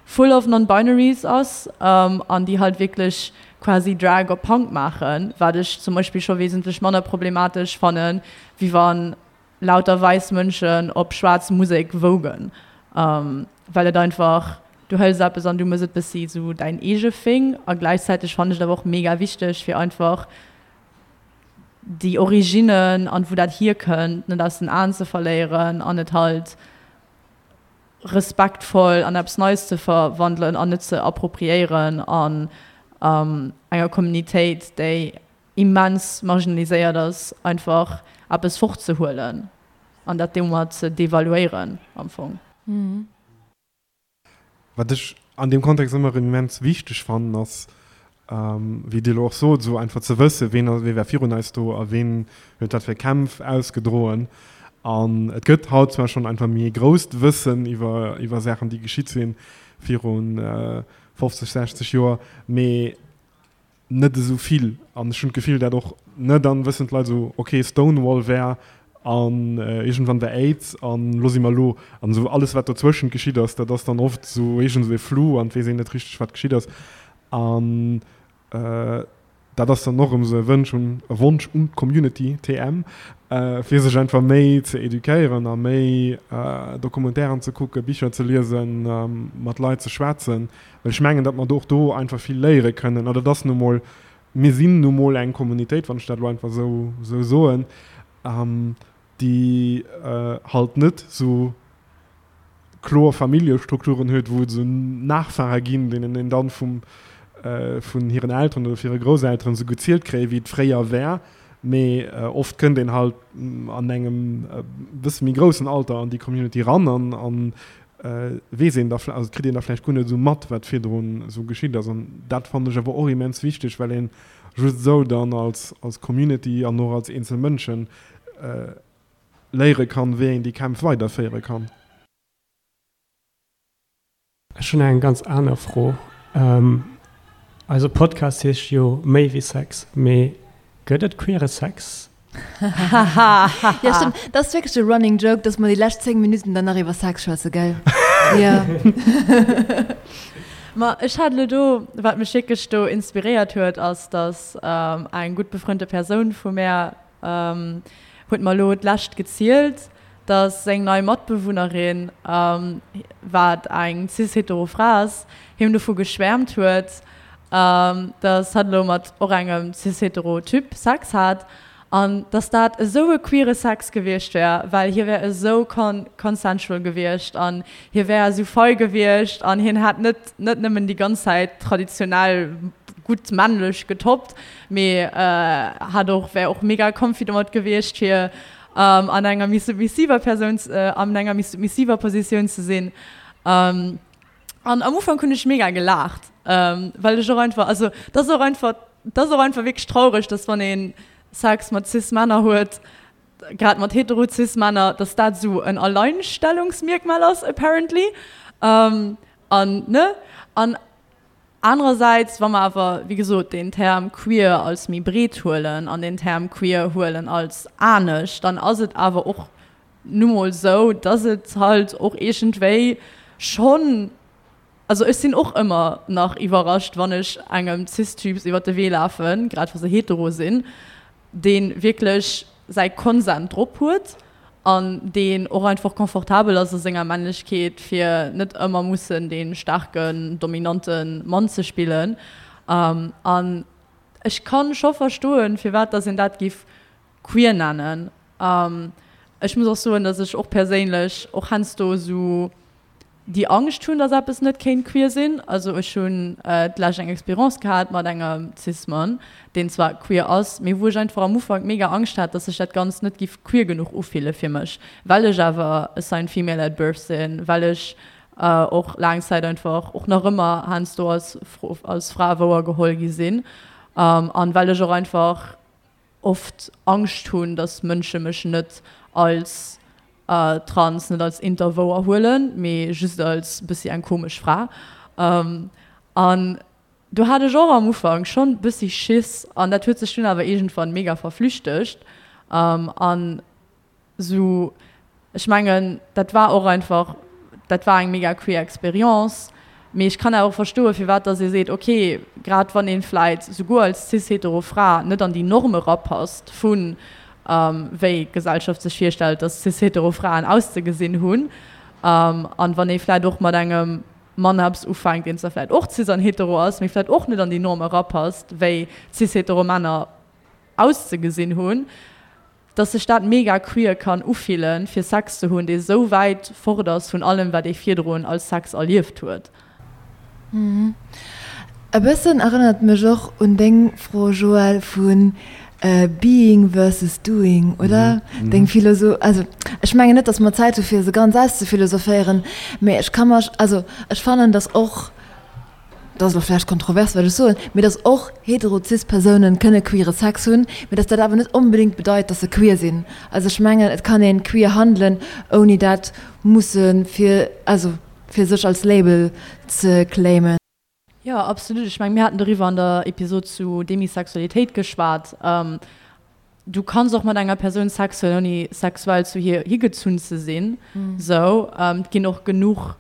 full of non-binaries ass an déi halt wierklech quasi Drag op Punk maachen, wat ech zum Beispill scho wesentlech manner problematesch fannen, wéi wa lauter wäiss Mënschen op schwaarz Musek vogen, well et einfach, du hëls eppes an du mëss et bëssi sou däin eege Thing a gläichzäiteg fannen ech et awer och mega wichteg fir einfach déi Originnen an wou dat hierkënnt net aus den Aen ze verléieren an et halt respektvoll an eppes Neies ze verwandelen an net ze appropriéieren an enger Communitéit déi immens marginaliséiert ass, einfach eppes fortzehuelen an dat domat ze devaluéieren am Fong. Wat ech an deem Kontext ëmmer erëm immens wichteg fannen, ass, wéi Dir elo och sot, esou einfach ze wëssen, ween ass, wee war virun eis do a ween huet wat fir Kämpf ausgedroen. An et gëtt haut zwar schonn einfach méi e grousst Wëssen iwwer, iwwer Saachen, déi geschitt si viru 50, 60 Joer, mee net esou vill an ech hunn d'Gefill dat och, ne, dann wëssen d'Leit esou ok Stonewall war an iergendwann war Aids an elo si mer elo an esou alles wat dozwëschent geschitt ass, dat ass dann oft esou iergend esou e Flou an et weess een net richteg wat geschitt ass an dat ass dann och erëm esou e Wënsch un e Wonsch un d'Community, TM. Fir sech einfach méi ze eduquéieren a méi Documentairen ze kucken, Bicher ze liesen, mat Leit ze schwätzen. Well ech mengen, datt mer och do einfach vill léiere kënnen. An dat ass nu mol, mir sinn nu mol eng Communautéit, wann ech dat elo einfach esou soen, déi halt net esou kloer Familljestrukturen huet, wou et esou Nachfahre ginn, deenen een dann vum, vun hiren Elteren oder hire Grousselteren esou gezielt kréien, wéi et fréier war. Mee oft kënnt een halt an engem e bësse méi groussen Alter an déi Community ran an an weess een da, also kritt een da vläicht guer net esou mat, wat virdrun esou geschitt ass. An dat fannen ech awer och immens wichteg, well een just esou dann als als Community an och als eenzel Mënschen léiere kann, wéi een déi Kämpf weiderféiere kann. Ech hunn eng ganz aner Fro. Eise Podcast heescht jo Méi wéi Sex, mee gëtt et queere Sex? Jo stëmmt, dat ass wierklech de running joke, dass mer déi lescht 10 Minutten dann nach iwwer Sex schwätzen, gell? Jo. Ma ech hat elo do, wat mech wierklech do inspiréiert huet, ass, dass eng gutt befrënnte Persoun vu mär Huet mer elo d'lescht gezielt, dass seng nei Matbewunnerin, wat eng cis-hetero Fra ass, him dovu geschwäermt huet, dass hatt elo mat och engem cis-hetero Typ Sex hat an dass dat esou e queere Sex gewiescht wär, well hie wär esou consensual gewiescht an hie wär esou fei gewiescht an hien hätt net net nëmmen déi ganz Zäit traditionell gutt männlech getoppt, Mee hat och, wär och mega comfy domat gewiescht fir an enger méi submissiver Persoun, an enger méi submissiver Positioun ze sinn. An am Ufank hunn ech mega gelaacht, well ech och einfach, also dat ass och einfach, dat ass och einfach wierklech traureg, dass wann ee Sex mat cis Männer huet, grad mat hetero cis Männer, dass dat esou en Alleinstellungsmierkmal ass apparently. An ne, an Anerersäits, wa mer awer, wéi gesot, deen Term queer als méi breet huelen an deen Term queer huelen als anescht, dann ass et awer och nu mol esou, dass et halt och iergendwéi schonn, also ech sinn och ëmmer nach iwwerrascht, wann ech engem Cis-Typs iwwert de Wee lafen, grad wa se hetero sinn, dee wierklech säi Consent drop huet an deen och einfach confortabel ass a senger Männlechkeet, fir net ëmmer mussen dee staarken, dominante Mann ze spillen. An ech ka scho verstoen, firwat datt een dat giff queer nennen. Ech muss och soen, datt ech och perséinlech och heiansdo esou déi Angscht hunn, dass eppes net kéint queer sinn. Also ech hunn d'lescht eng Experience gehat mat engem Cis-Mann, deen zwar queer ass, mee wou ech einfach am Ufank mega Angscht hat, dass sech dat Ganzt net giff queer genuch ufille fir mech, well ech awer assigned female at birth sinn, well ech och laang Zäit einfach och nach ëmmer heiansdo als als Fra wouergeholl gi sinn an well ech och einfach oft Angscht hunn, dass Mënsche mech net als trans, net als inter wouer huelen, mee just als bëssi eng komesch Fra. An do hat ech och am Ufank schonn bëssi Schiss an dat huet sech dunn awer iergendwann mega verflüchtegt. An Sou, ech mengen, dat war och einfach, dat war eng mega queer Experience. Mee ech kann awer och verstoen, firwat dass ee seet, okay, grad wann ee vläit souguer als cis-hetero Fra net an déi Norm erapasst vu wéi d'Gesellschaft sech virstellt, dass cis-hetero Fraen auszegesinn hunn, an wann ee vläit och mat engem Mann eppes ufänkt, deen zwar vläit och cis an hetero ass, mee vläit och net an déi Norm erapasst, wéi cis-hetero Männer auszegesinn hunn, dass sech dat mega queer kann ufillen, fir Sex ze hunn, dee sou wäit fort ass vun allem, wat ee virdrun als Sex erlieft huet. E bëssen erënnert et mech och un deng Fro, Joël, vu Being versus Doing, oder? Deng Philoso-, also ech mengen net, dass mer Zäit hu fir se ganz auszephilosopheieren, mee ech ka mer, also ech fannen, dass och, dat ass elo vläicht kontrovers wat ech soen, mee dass och hetero-cis Persounen kënne queere Sex hunn, mee dass dat awer net onbedéngt bedeit, dass se queer sinn. Also ech mengen, et kann een queer handelen, ouni dat musse fir, also fir sech als Label ze claimen. Jo, absolut. Ech mengen, mir haten doriwwer an der Episod zu Demisexualitéit geschwat. Du kanns och mat enger Persoun Sex hunn, ouni sexuell zu hir higezunn ze sinn. Sou, et ginn och genuch.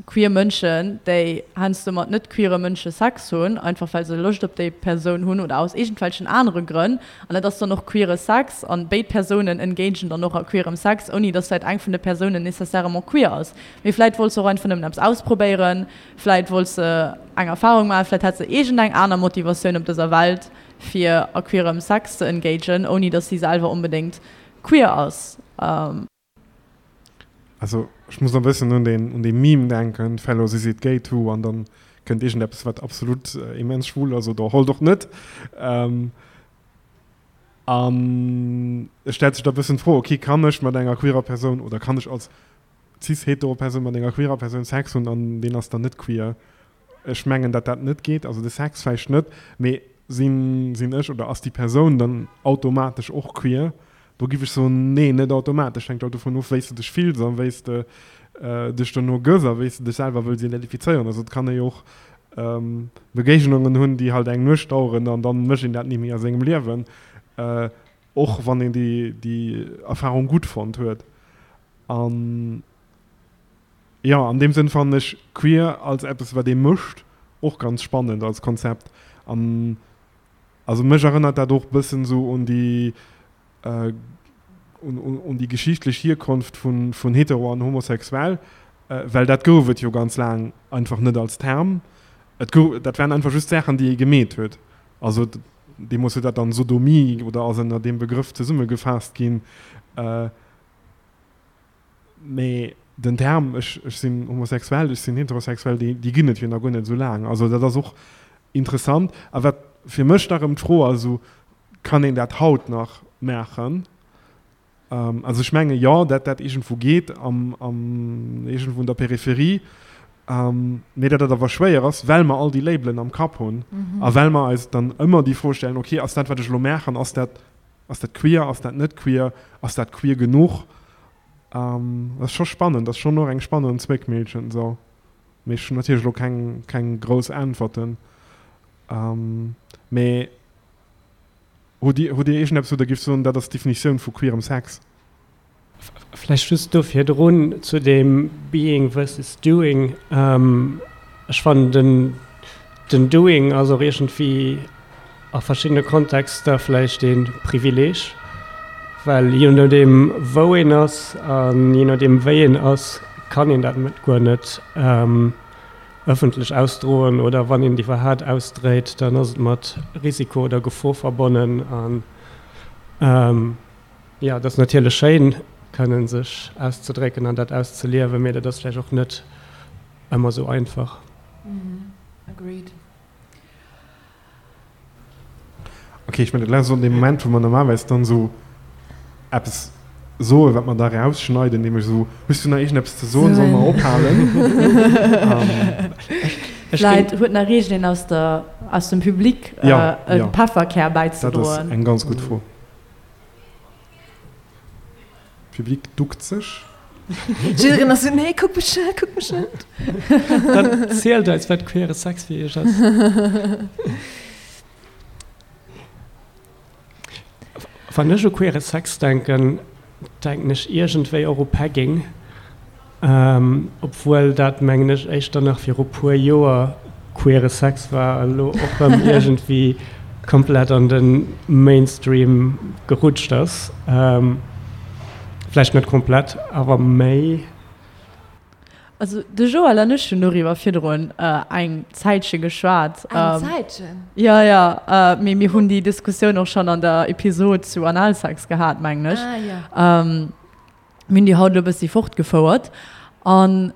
queer Mënschen, déi heiansdo mat net queere Mënsche Sex hunn, einfach well se Loscht op déi Persoun hunn oder aus iergendwelchen anere Grënn. An dat ass dann och queere Sex an béid Persounen engagen dann och a queerem Sex, ouni dass vläit eng vun de Persounen nécessairement queer ass. Mee vläit wollt se och einfach nëmmen eppes ausprobéieren, vläit wollt se eng Erfarung maachen, vläit hat se iergendeng aner Motivatioun op dëser Welt, fir a queerem Sex ze engagen, ouni dass si selwer onbedéngt queer ass. Also ech muss e bëssen un deen un dee Meme denken, Fellows is it gay too? An dann kënnt iergendeppes wat absolut immens schwul ass oder halt och net. An et stellt sech da bëssen d'Fro, okay kann ech mat enger queerer Persoun oder kann ech als cis-hetero Persoun mat enger queerer Persoun Sex hunn an deen ass dann net queer? Ech mengen, datt dat net geet, also de Sex vläicht net, mee sinn sinn ech oder ass déi Persoun dann automatesch och queer? Do giff ech soen, nee, net automatesch. Hänkt halt dovun of, wéi s de dech fills a wéi s de dech dono gëss a wéi s de dech selwer wëlls identifizéieren. Also et kann ee jo och Begéignungen hunn, déi halt eng Nuecht daueren an dann mécht een dat ni méi a sengem Liewen, och wann een déi déi Erfarung gutt fonnt huet. An Jo, an deem Sënn fannen ech queer als eppes wat ee mécht och ganz spannend als Konzept. An also mech erënnert dat och bëssen esou un déi un déi geschichtlech Hierkonft vun vun hetero an homosexuell, well dat gouf et jo ganz laang einfach net als Term. Et gouf, dat waren einfach just Saachen déi ee gemeet huet. Also deemools huet dat dann Sodomie oder ass ënner deem Begrëff zesummegefaasst ginn. Mee den Term ech ech sinn homosexuell, ech sinn heterosexuell, déi déi ginn et jo nach guer net esou laang. Also dat ass och interessant. A wat fir mech da rëm d'Fro ass, esou, kann een dat haut nach maachen? Also ech menge jo, dat dat iergendwou geet am am iergendwou un der Peripherie, mee dat dat awer schwéier ass, well mer all déi Labelen am Kapp hunn a well mer eis dann ëmmer déi Fro stellen, okay, ass dat wat ech elo maachen, ass dat Ass dat queer, ass dat net queer, ass dat queer genuch? Dat ass scho spannend, ass schonn och eng spannend Zwéckmillchen esou. Mee ech hunn natierlech elo keng, keng grouss Äntwerten. Mee hutt Dir, hutt Dir iergendeppes, wou Der géift soen, dat ass d'Definitioun vu queerem Sex? Vläicht just do virdrun zu deem Being versus Doing. Ech fannen den, den Doing ass och iergendwéi a verschiddene Kontexter vläicht ee Privileeg, well je nodeem wou een ass a je nodeem wéi een ass, kann een dat guer net ëffentlech ausdroen oder wann een et iwwerhaat ausdréit, dann ass et mat Risiko oder Gefor verbonnen. An Jo, et ass natierlech schéin, kënnen sech auszedrécken an dat auszeliewen, mee dat ass vläicht och net ëmmer esou einfach. Agreed. Ok, ech mengen, dat ass och dee Moment, wou mer normalerweis dann esou eppes soen, wat mer da erausschneiden, nämlech esou, Hues du nach iergendeppes ze soen? Solle mer ophalen? Vläit huet nach iergendeen aus der, aus dem Public e Pefferkär bäizedroen. Dat ass eng ganz gutt Fro. Public duckt sech. Jiddereen ass esou, nee, kuck mech net, kuck mech net. Dann zielt eis, wat queere Sex fir iech ass. Wann ech u queere Sex denken, denken ech iergendwéi och u Pegging. Obwuel dat, mengen ech, éischter nach viru puer Joer queere Sex war a lo och rëm iergendwéi komplett an de Mainstream gerutscht ass. Vläicht net komplett, awer méi. Also de Joël an ech hunn doriwwer virdrun eng Zäitche geschwat. Eng Zäitchen? Jo, jo, mee mir hunn déi Diskussioun och schonn an der Episod zu Analsex gehat, mengen ech. Ah, jo. Mir hunn déi haut elo e bëssi fortgefouert. An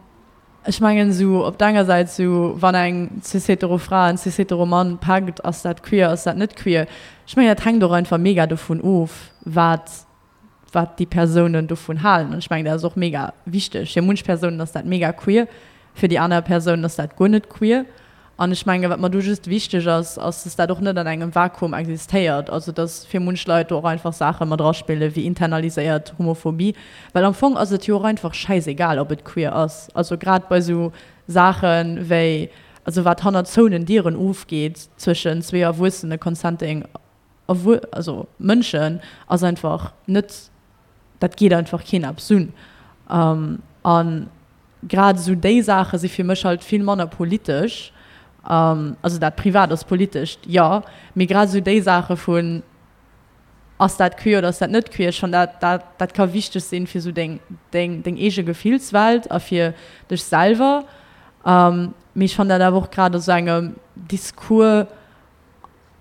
ech mengen esou op der enger Säit esou, wann eng cis-hetero Fra en cis-hetero Mann packt, ass dat queer, ass dat net queer? Ech mengen dat hänkt och einfach mega dovun of, wat wat déi Persounen dovun halen. An ech mengen dat ass och mega wichteg. Fir munch Persounen ass dat mega queer, fir déi aner Persounen ass dat guer net queer. An ech menge wat mer do just wichteg ass, ass dass dat och net an engem Vakuum existéiert, also dass fir munch Leit do och einfach Saache mat eraspille wéi internaliséiert Homophobie, well am Fong ass et jo och einfach schäisegal ob et queer ass, also grad bei esou Saache wéi, also wat hannert zouenen Dieren ofgeet zwëschen zwee erwuessene consenting also Mënschen, ass einfach net, dat geet einfach keen eppes un. An. Grad esou déi Saache si fir mech halt vill manner politesch. Also dat Privat ass politescht, jo, mee grad esou déi Saache vun, ass dat queer oder ass dat net queer, schonn dat, dat, dat ka wichteg sinn fir esou deng, deng, deng eege Gefillswelt a fir dech selwer. Mee ech fannen dat awer och grad a sou engem Discours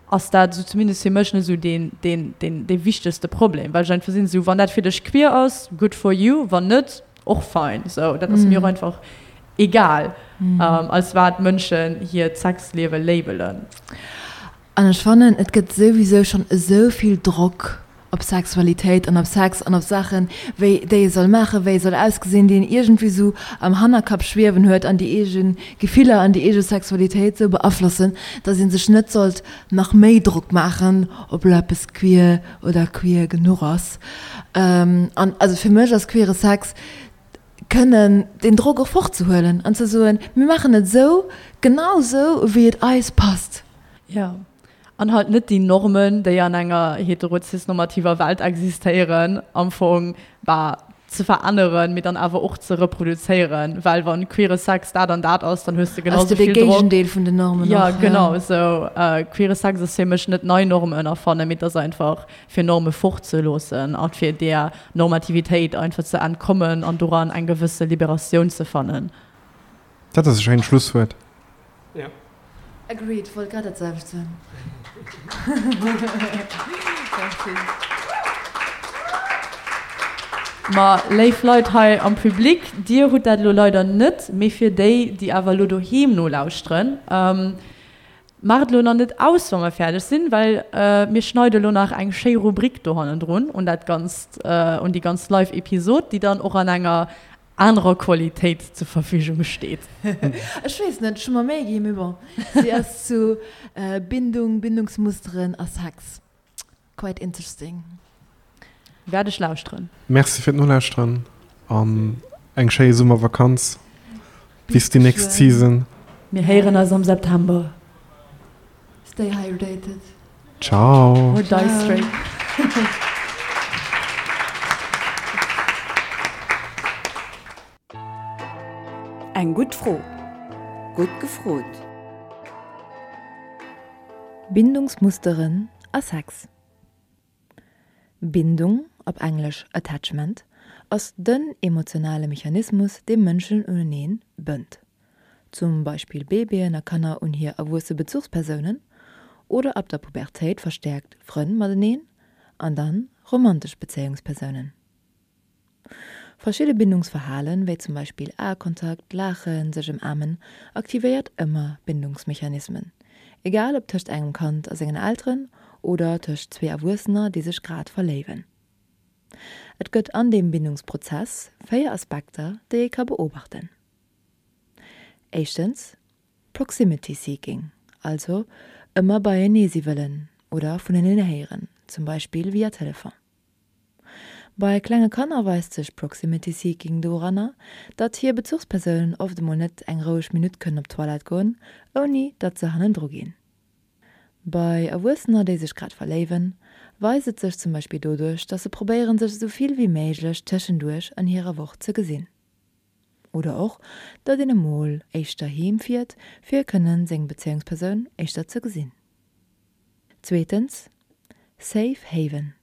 ass dat esou zumindest fir mech net esou deen, deen, deen, dee wichtegste Problem, well ech einfach sinn esou, wann dat fir dech queer ass, good for you, wann net, och fein. Sou, dat ass mir och einfach egal, als wat Mënschen hiert Sexliewe labelen. An ech fannen, et gëtt souwisou schonn esou vill Drock op Sexualitéit an op Sex an op Saachen, wéi déi ee soll maachen, wéi ee soll ausgesinn, déi een iergendwéi esou am Hannerkapp schwiewen huet an déi eege Gefiller an déi eege Sexualitéit esou beaflossen, datt ee sech net sollt nach méi Drock maachen, ob elo eppes queer oder queer genuch ass. An also fir mech ass queere Sex, kënnen deen Drock och fortzehuelen an ze soen, mir maachen et esou, genau esou, wéi et eis passt. Jo, an halt net déi Normen, déi an enger hetero-cis-normativer Welt existéieren, am Fong, bah, ze veränneren, mee dann awer och ze reproduzéieren, well wann queere Sex dat an dat ass, dann hues de genau Ass sou de vill Drock. Géigendeel vun den Normen Jo, och, ja. genau esou. Queere Sex ass fir mech net nei Normen erfannen, mee et ass einfach fir Norme fortzeloossen a fir där Normativitéit einfach ze entkommen an doran eng gewësse Liberatioun ze fannen. Dat ass e schéint Schlusswuert. Jo. Agreed, wollt grad dat selwecht soen. Merci. Ma léif Leit hei am Public, dir hutt dat elo leider net, mee fir déi, déi awer elo doheem nolauschteren, Maacht elo nach net aus wa mer fäerdeg sinn, well mir schneide elo nach eng schéi Rubrik do hannendrun un dat ganzt, un déi ganz live Episod, déi dann och an enger anerer Qualitéit zur Verfügung steet. Ech weess net, ech hu mer Méi ginn, mee bon, si ass zu Bindung, Bindungsmusteren a Sex. Quite interesting. Wäert ech lauschteren. Merci fir d'Nolauschteren an eng schéi Summervakanz. Bis déi nächst Season. Mir héieren eis am September. Stay hydrated. Ciao. Or die straight. Eng gutt Fro. Gutt gefrot. Bindungsmusteren a Sex. Bindung, op Englesch Attachment, ass den emotionale Mechanismus, dee Mënschen uneneen bënnt. Zum Beispill Babyen a Kanner un hir erwuesse Bezuchspersounen oder ab der Pubertéit verstäerkt Frënn mateneen an dann romantesch Bezéiungspersounen. Verschidde Bindungsverhalen, wéi zum Beispill Aekontakt, Laachen, sech ëmaarmen, aktivéiert ëmmer Bindungsmechanismen, egal ob tëscht engem Kand a sengen Elteren oder tëscht zwee Erwuessener, déi sech grad verléiwen. Et gëtt an deem Bindungsprozess 4 Aspekter, déi ee ka beobachten. Éischtens, Proximity seeking, also ëmmer beienee si wëllen oder vuneneen héieren, zum Beispill via Telefon. Bei klenge Kanner weist sech Proximity Seeking doranner, datt hir Bezuchspersounen oft emol net eng roueg Minutt kënnen op d'Toilette goen, ouni datt se hannendru ginn. Bei Erwuessener, déi sech grad verléiwen, weist et sech zum Beispill doduerch, datt se probéieren, sech esou vill wéi méiglech tëschenduerch an hirer Woch ze gesinn. Oder och, datt een emol éischter heem fiert, fir kënnen seng Bezéiungspersoun éischter ze gesinn. Zweetens, Safe Haven.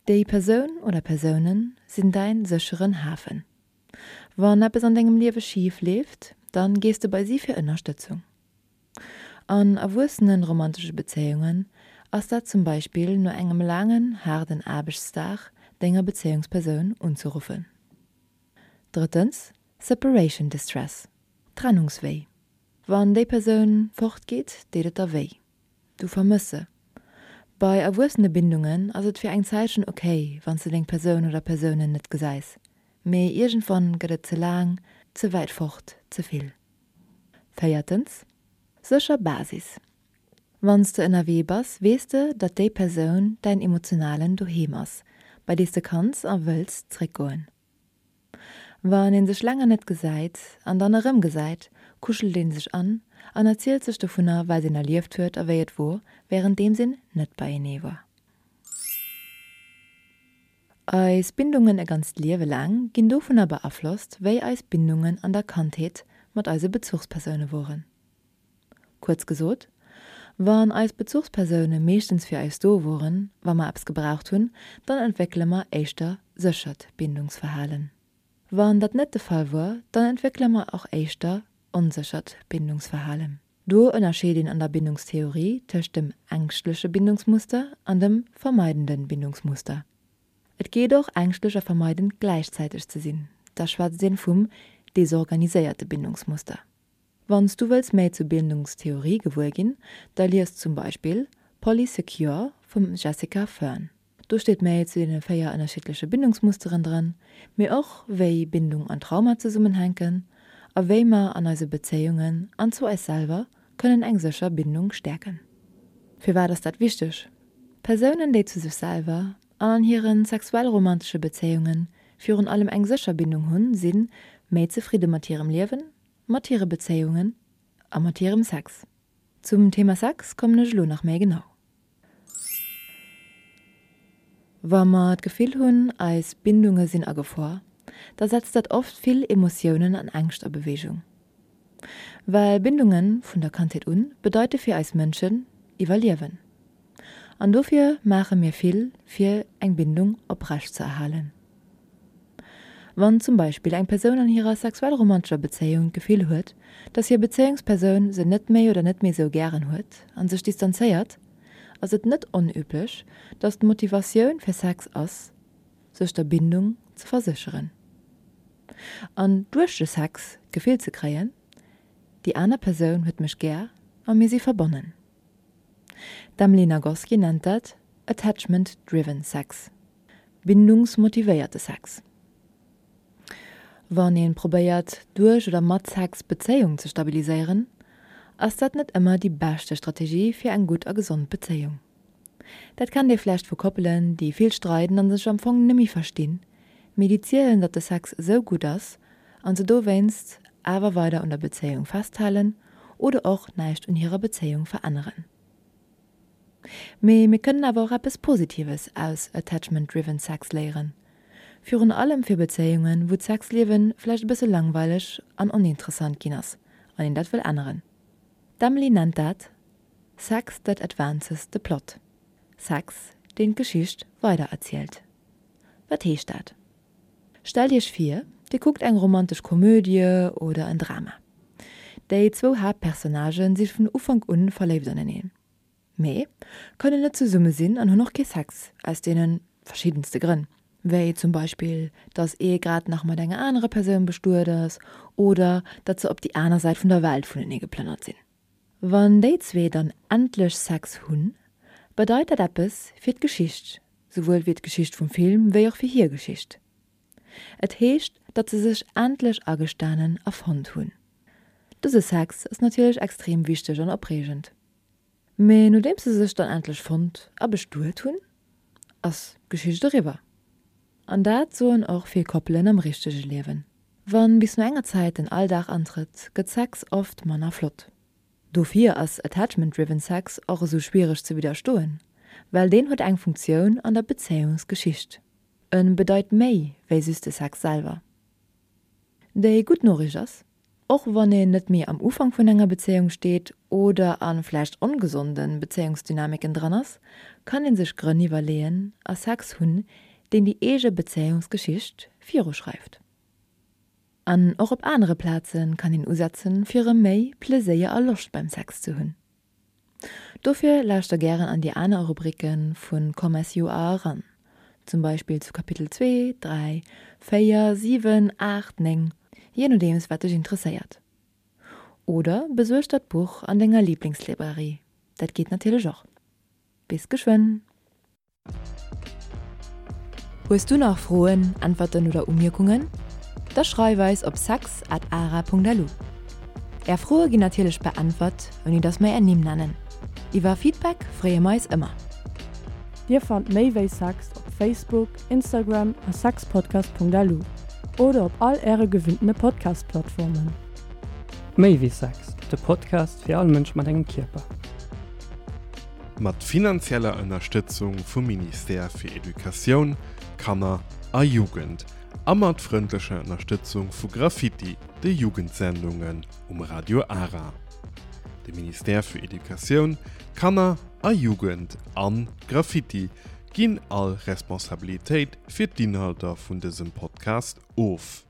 Déi Persoun oder Persounen sinn däin sécheren Hafen. Wann eppes an dengem Liewe schif leeft, dann gees de bei si fir Ënnerstëtzung. An erwuessenen romantesche Bezéiungen ass dat zum Beispill no engem laangen, haarden Aarbechtsdag denger Bezéiungspersoun unzeruffen. Drëttens, Separation Distress, Trennungswéi. Wann déi Persoun fort geet, deet et der wéi. Du vermëss se. Bei erwuessene Bindungen ass et fir eng Zäitchen ok, wann s de deng Persoun oder Persounen net gesäis, mee iergendwann gëtt et ze laang, ze wäit fort, ze vill. Véiertens, sécher Basis. Wann s de ënnerwee bass, weess de, datt déi Persoun däin emotionalen Doheem ass, bei dee s de kanns a wëlls zréckgoen. Wann een sech länger net gesäit an dann erëm gesäit, kuschelt een sech an an erzielt sech dovunner, wat een erlieft huet a wéi et wor, wärenddeems een net beienee wor. Eis Bindungen e ganzt Liewe laang ginn dovunner beaflosst, wéi eis Bindungen an der Kandheet mat eise Bezuchspersoune woren. Kuerz gesot, Wann eis Bezuchspersoune meeschtens fir eis do woren, wa mer eppes gebraucht hunn, dann entwéckele mer éischter séchert Bindungsverhalen. Wann dat net de Fall wor, dann entwéckele mer och éischter onséchert Bindungsverhalen. Do ënnerscheet een an der Bindungstheorie tëscht dem ängschtleche Bindungsmuster an dem vermeidende Bindungsmuster. Et geet och, ängschtlech a vermeidend gläichzäiteg ze sinn, da schwätzt een vum desorganiséierte Bindungsmuster. Wann s du wëlls méi zur Bindungstheorie gewuer ginn, da lies zum Beispill Polysecure vum Jessica Fern. Do steet méi zu deene 4 ënnerschiddleche Bindungsmusteren dran, mee och wéi Bindung an Trauma zesummenhänken a wéi mer an eise Bezéiungen an zu eis selwer kënnen eng sécher Bindung stäerken. Firwat ass dat wichteg? Persounen, déi zu sech selwer an an hire sexuell-romantesche Bezéiunge virun allem eng sécher Bindung hunn, si méi zefridde mat hirem Liewen, mat hire Bezéiungen a mat hirem Sex. Zum Thema Sex kommen ech elo nach méi genau. Wa mer d'Gefill hunn, eis Bindunge sinn a Gefor, da setzt dat oft vill Emotiounen an Ängscht a Beweegung. Well Bindunge vun der Kandheet un bedeite fir eis Mënschen Iwwerliewen. An dofir maache mir vill, fir eng Bindung oprecht ze erhalen. Wann zum Beispill eng Persoun an hirer sexuell-romantescher Bezéiung d'Gefill huet, dass hir Bezéiungspersoun se net méi oder net méi sou gären huet an sech distanzéiert, ass et net onüblech, dass d'Motivatioun fir Sex ass, sech der Bindung ze versécheren an duerch de Sex d'Gefill ze kréien, déi aner Persoun huet mech gär a mir si verbonnen. D'Emily Nagoski nennt dat Attachment driven sex, bindungsmotivéierte Sex. Wann een probéiert, duerch oder mat Sex d'Bezéiung ze stabiliséieren, ass dat net ëmmer déi beschte Strategie fir eng gutt a gesond Bezéiung. Dat kennt ee vläicht vu Koppelen, déi vill streiden an sech am Fong nemmi verstinn, mee déi zielen, datt de Sex esou gutt ass an se dowéinst awer weider un der Bezéiung festhalen oder och näischt un hirer Bezéiung veränneren. Mee mir kënnen awer och eppes Positives aus Attachment Driven Sex léieren. Virun allem fir Bezéiungen, wou d'Sexliewe vläicht e bësse langweileg an oninteressant ginn ass an een dat wëll änneren. D'Emily nennt dat Sex that advances the plot, Sex, deen d'Geschicht weidererzielt. Wat heescht dat? Stellt iech vir, dir kuckt eng romantesch Komödie oder en Drama. Déi zwou Haaptpersonnagen si vun Ufank un verléift aneneen, mee kënnen net zesumme sinn an hunn och kee Sex, aus deene verschiddenste Grënn, wéi zum Beispill, dass ee grad nach mat enger anerer Persoun bestuet ass oder datt se op déi aner Säit vun der Welt vunenee geplënnert sinn. Wann déi zwee dann endlech Sex hunn, bedeit dat eppes fir d'Geschicht, souwuel fir d'Geschicht vum Film wéi och fir hir Geschicht. Et heescht, datt se sech endlech agestanen a fonnt hunn. Dëse Sex ass natierlech extrem wichteg an opreegend. Mee nodeems se sech dann endlech fonnt a bestuet hunn, ass d'Geschicht eriwwer. An dat soen och vill Koppelen am richtege Liewen. Wann bis no enger Zäit den Alldag antrëtt, gëtt Sex oft manner flott. Dofir ass Attachment driven Sex och esou schwiereg ze widderstoen, well deen huet eng Funktioun an der Bezéiungsgeschicht. En bedeit méi wéi just de Sex selwer. Déi gutt Noriicht ass, Och wann een net méi am Ufank vun enger Bezéiung steet oder a vläicht ongesonden Bezéiungsdynamiken dran ass, kann een sech Grënn iwwerleeën a Sex hunn, deen déi eege Bezéiungsgeschicht viruschreift. An och op anere Plaze kann een usetzen, fir erëm méi Pleséier a Loscht beim Sex ze hunn. Dofir lauschter gären an déi aner Rubricke vu Come As You Are eran, zum Beispill zu Kapitel 2, 3, 4, 7, 8, 9, jee nodeems wat dech interesséiert. Oder besuerg der d'Buch an denger Liblingslibrairie, dat geet natierlech och. Bis geschwënn! Hues du nach Froen, Äntwerten oder Umierkungen? Da schreif eis op sex at ara.lu. Är Froe ginn natierlech beäntwert, ouni dass mer är Nimm nennen. Iwwer Feedback freeë mer eis ëmmer. Dir fannt méi wéi Sex op Facebook, Instagram a sexpodcast.lu oder op all äre gewinntene Podcast-Plattformen. Méi wéi Sex, de Podcast fir all Mënsch mat engem Kierper. Mat finanzieller Ënnerstëtzung vum Ministère fir Educatioun, Kanner a Jugend a mat frëndlecher Ënnerstëtzung vu Graffiti, de Jugendsendungen um Radio Ara. De Ministère fir Educatioun, Kanner a Jugend an Graffiti ginn all Responsabilitéit fir d'Inhalter vun dësem Podcast of.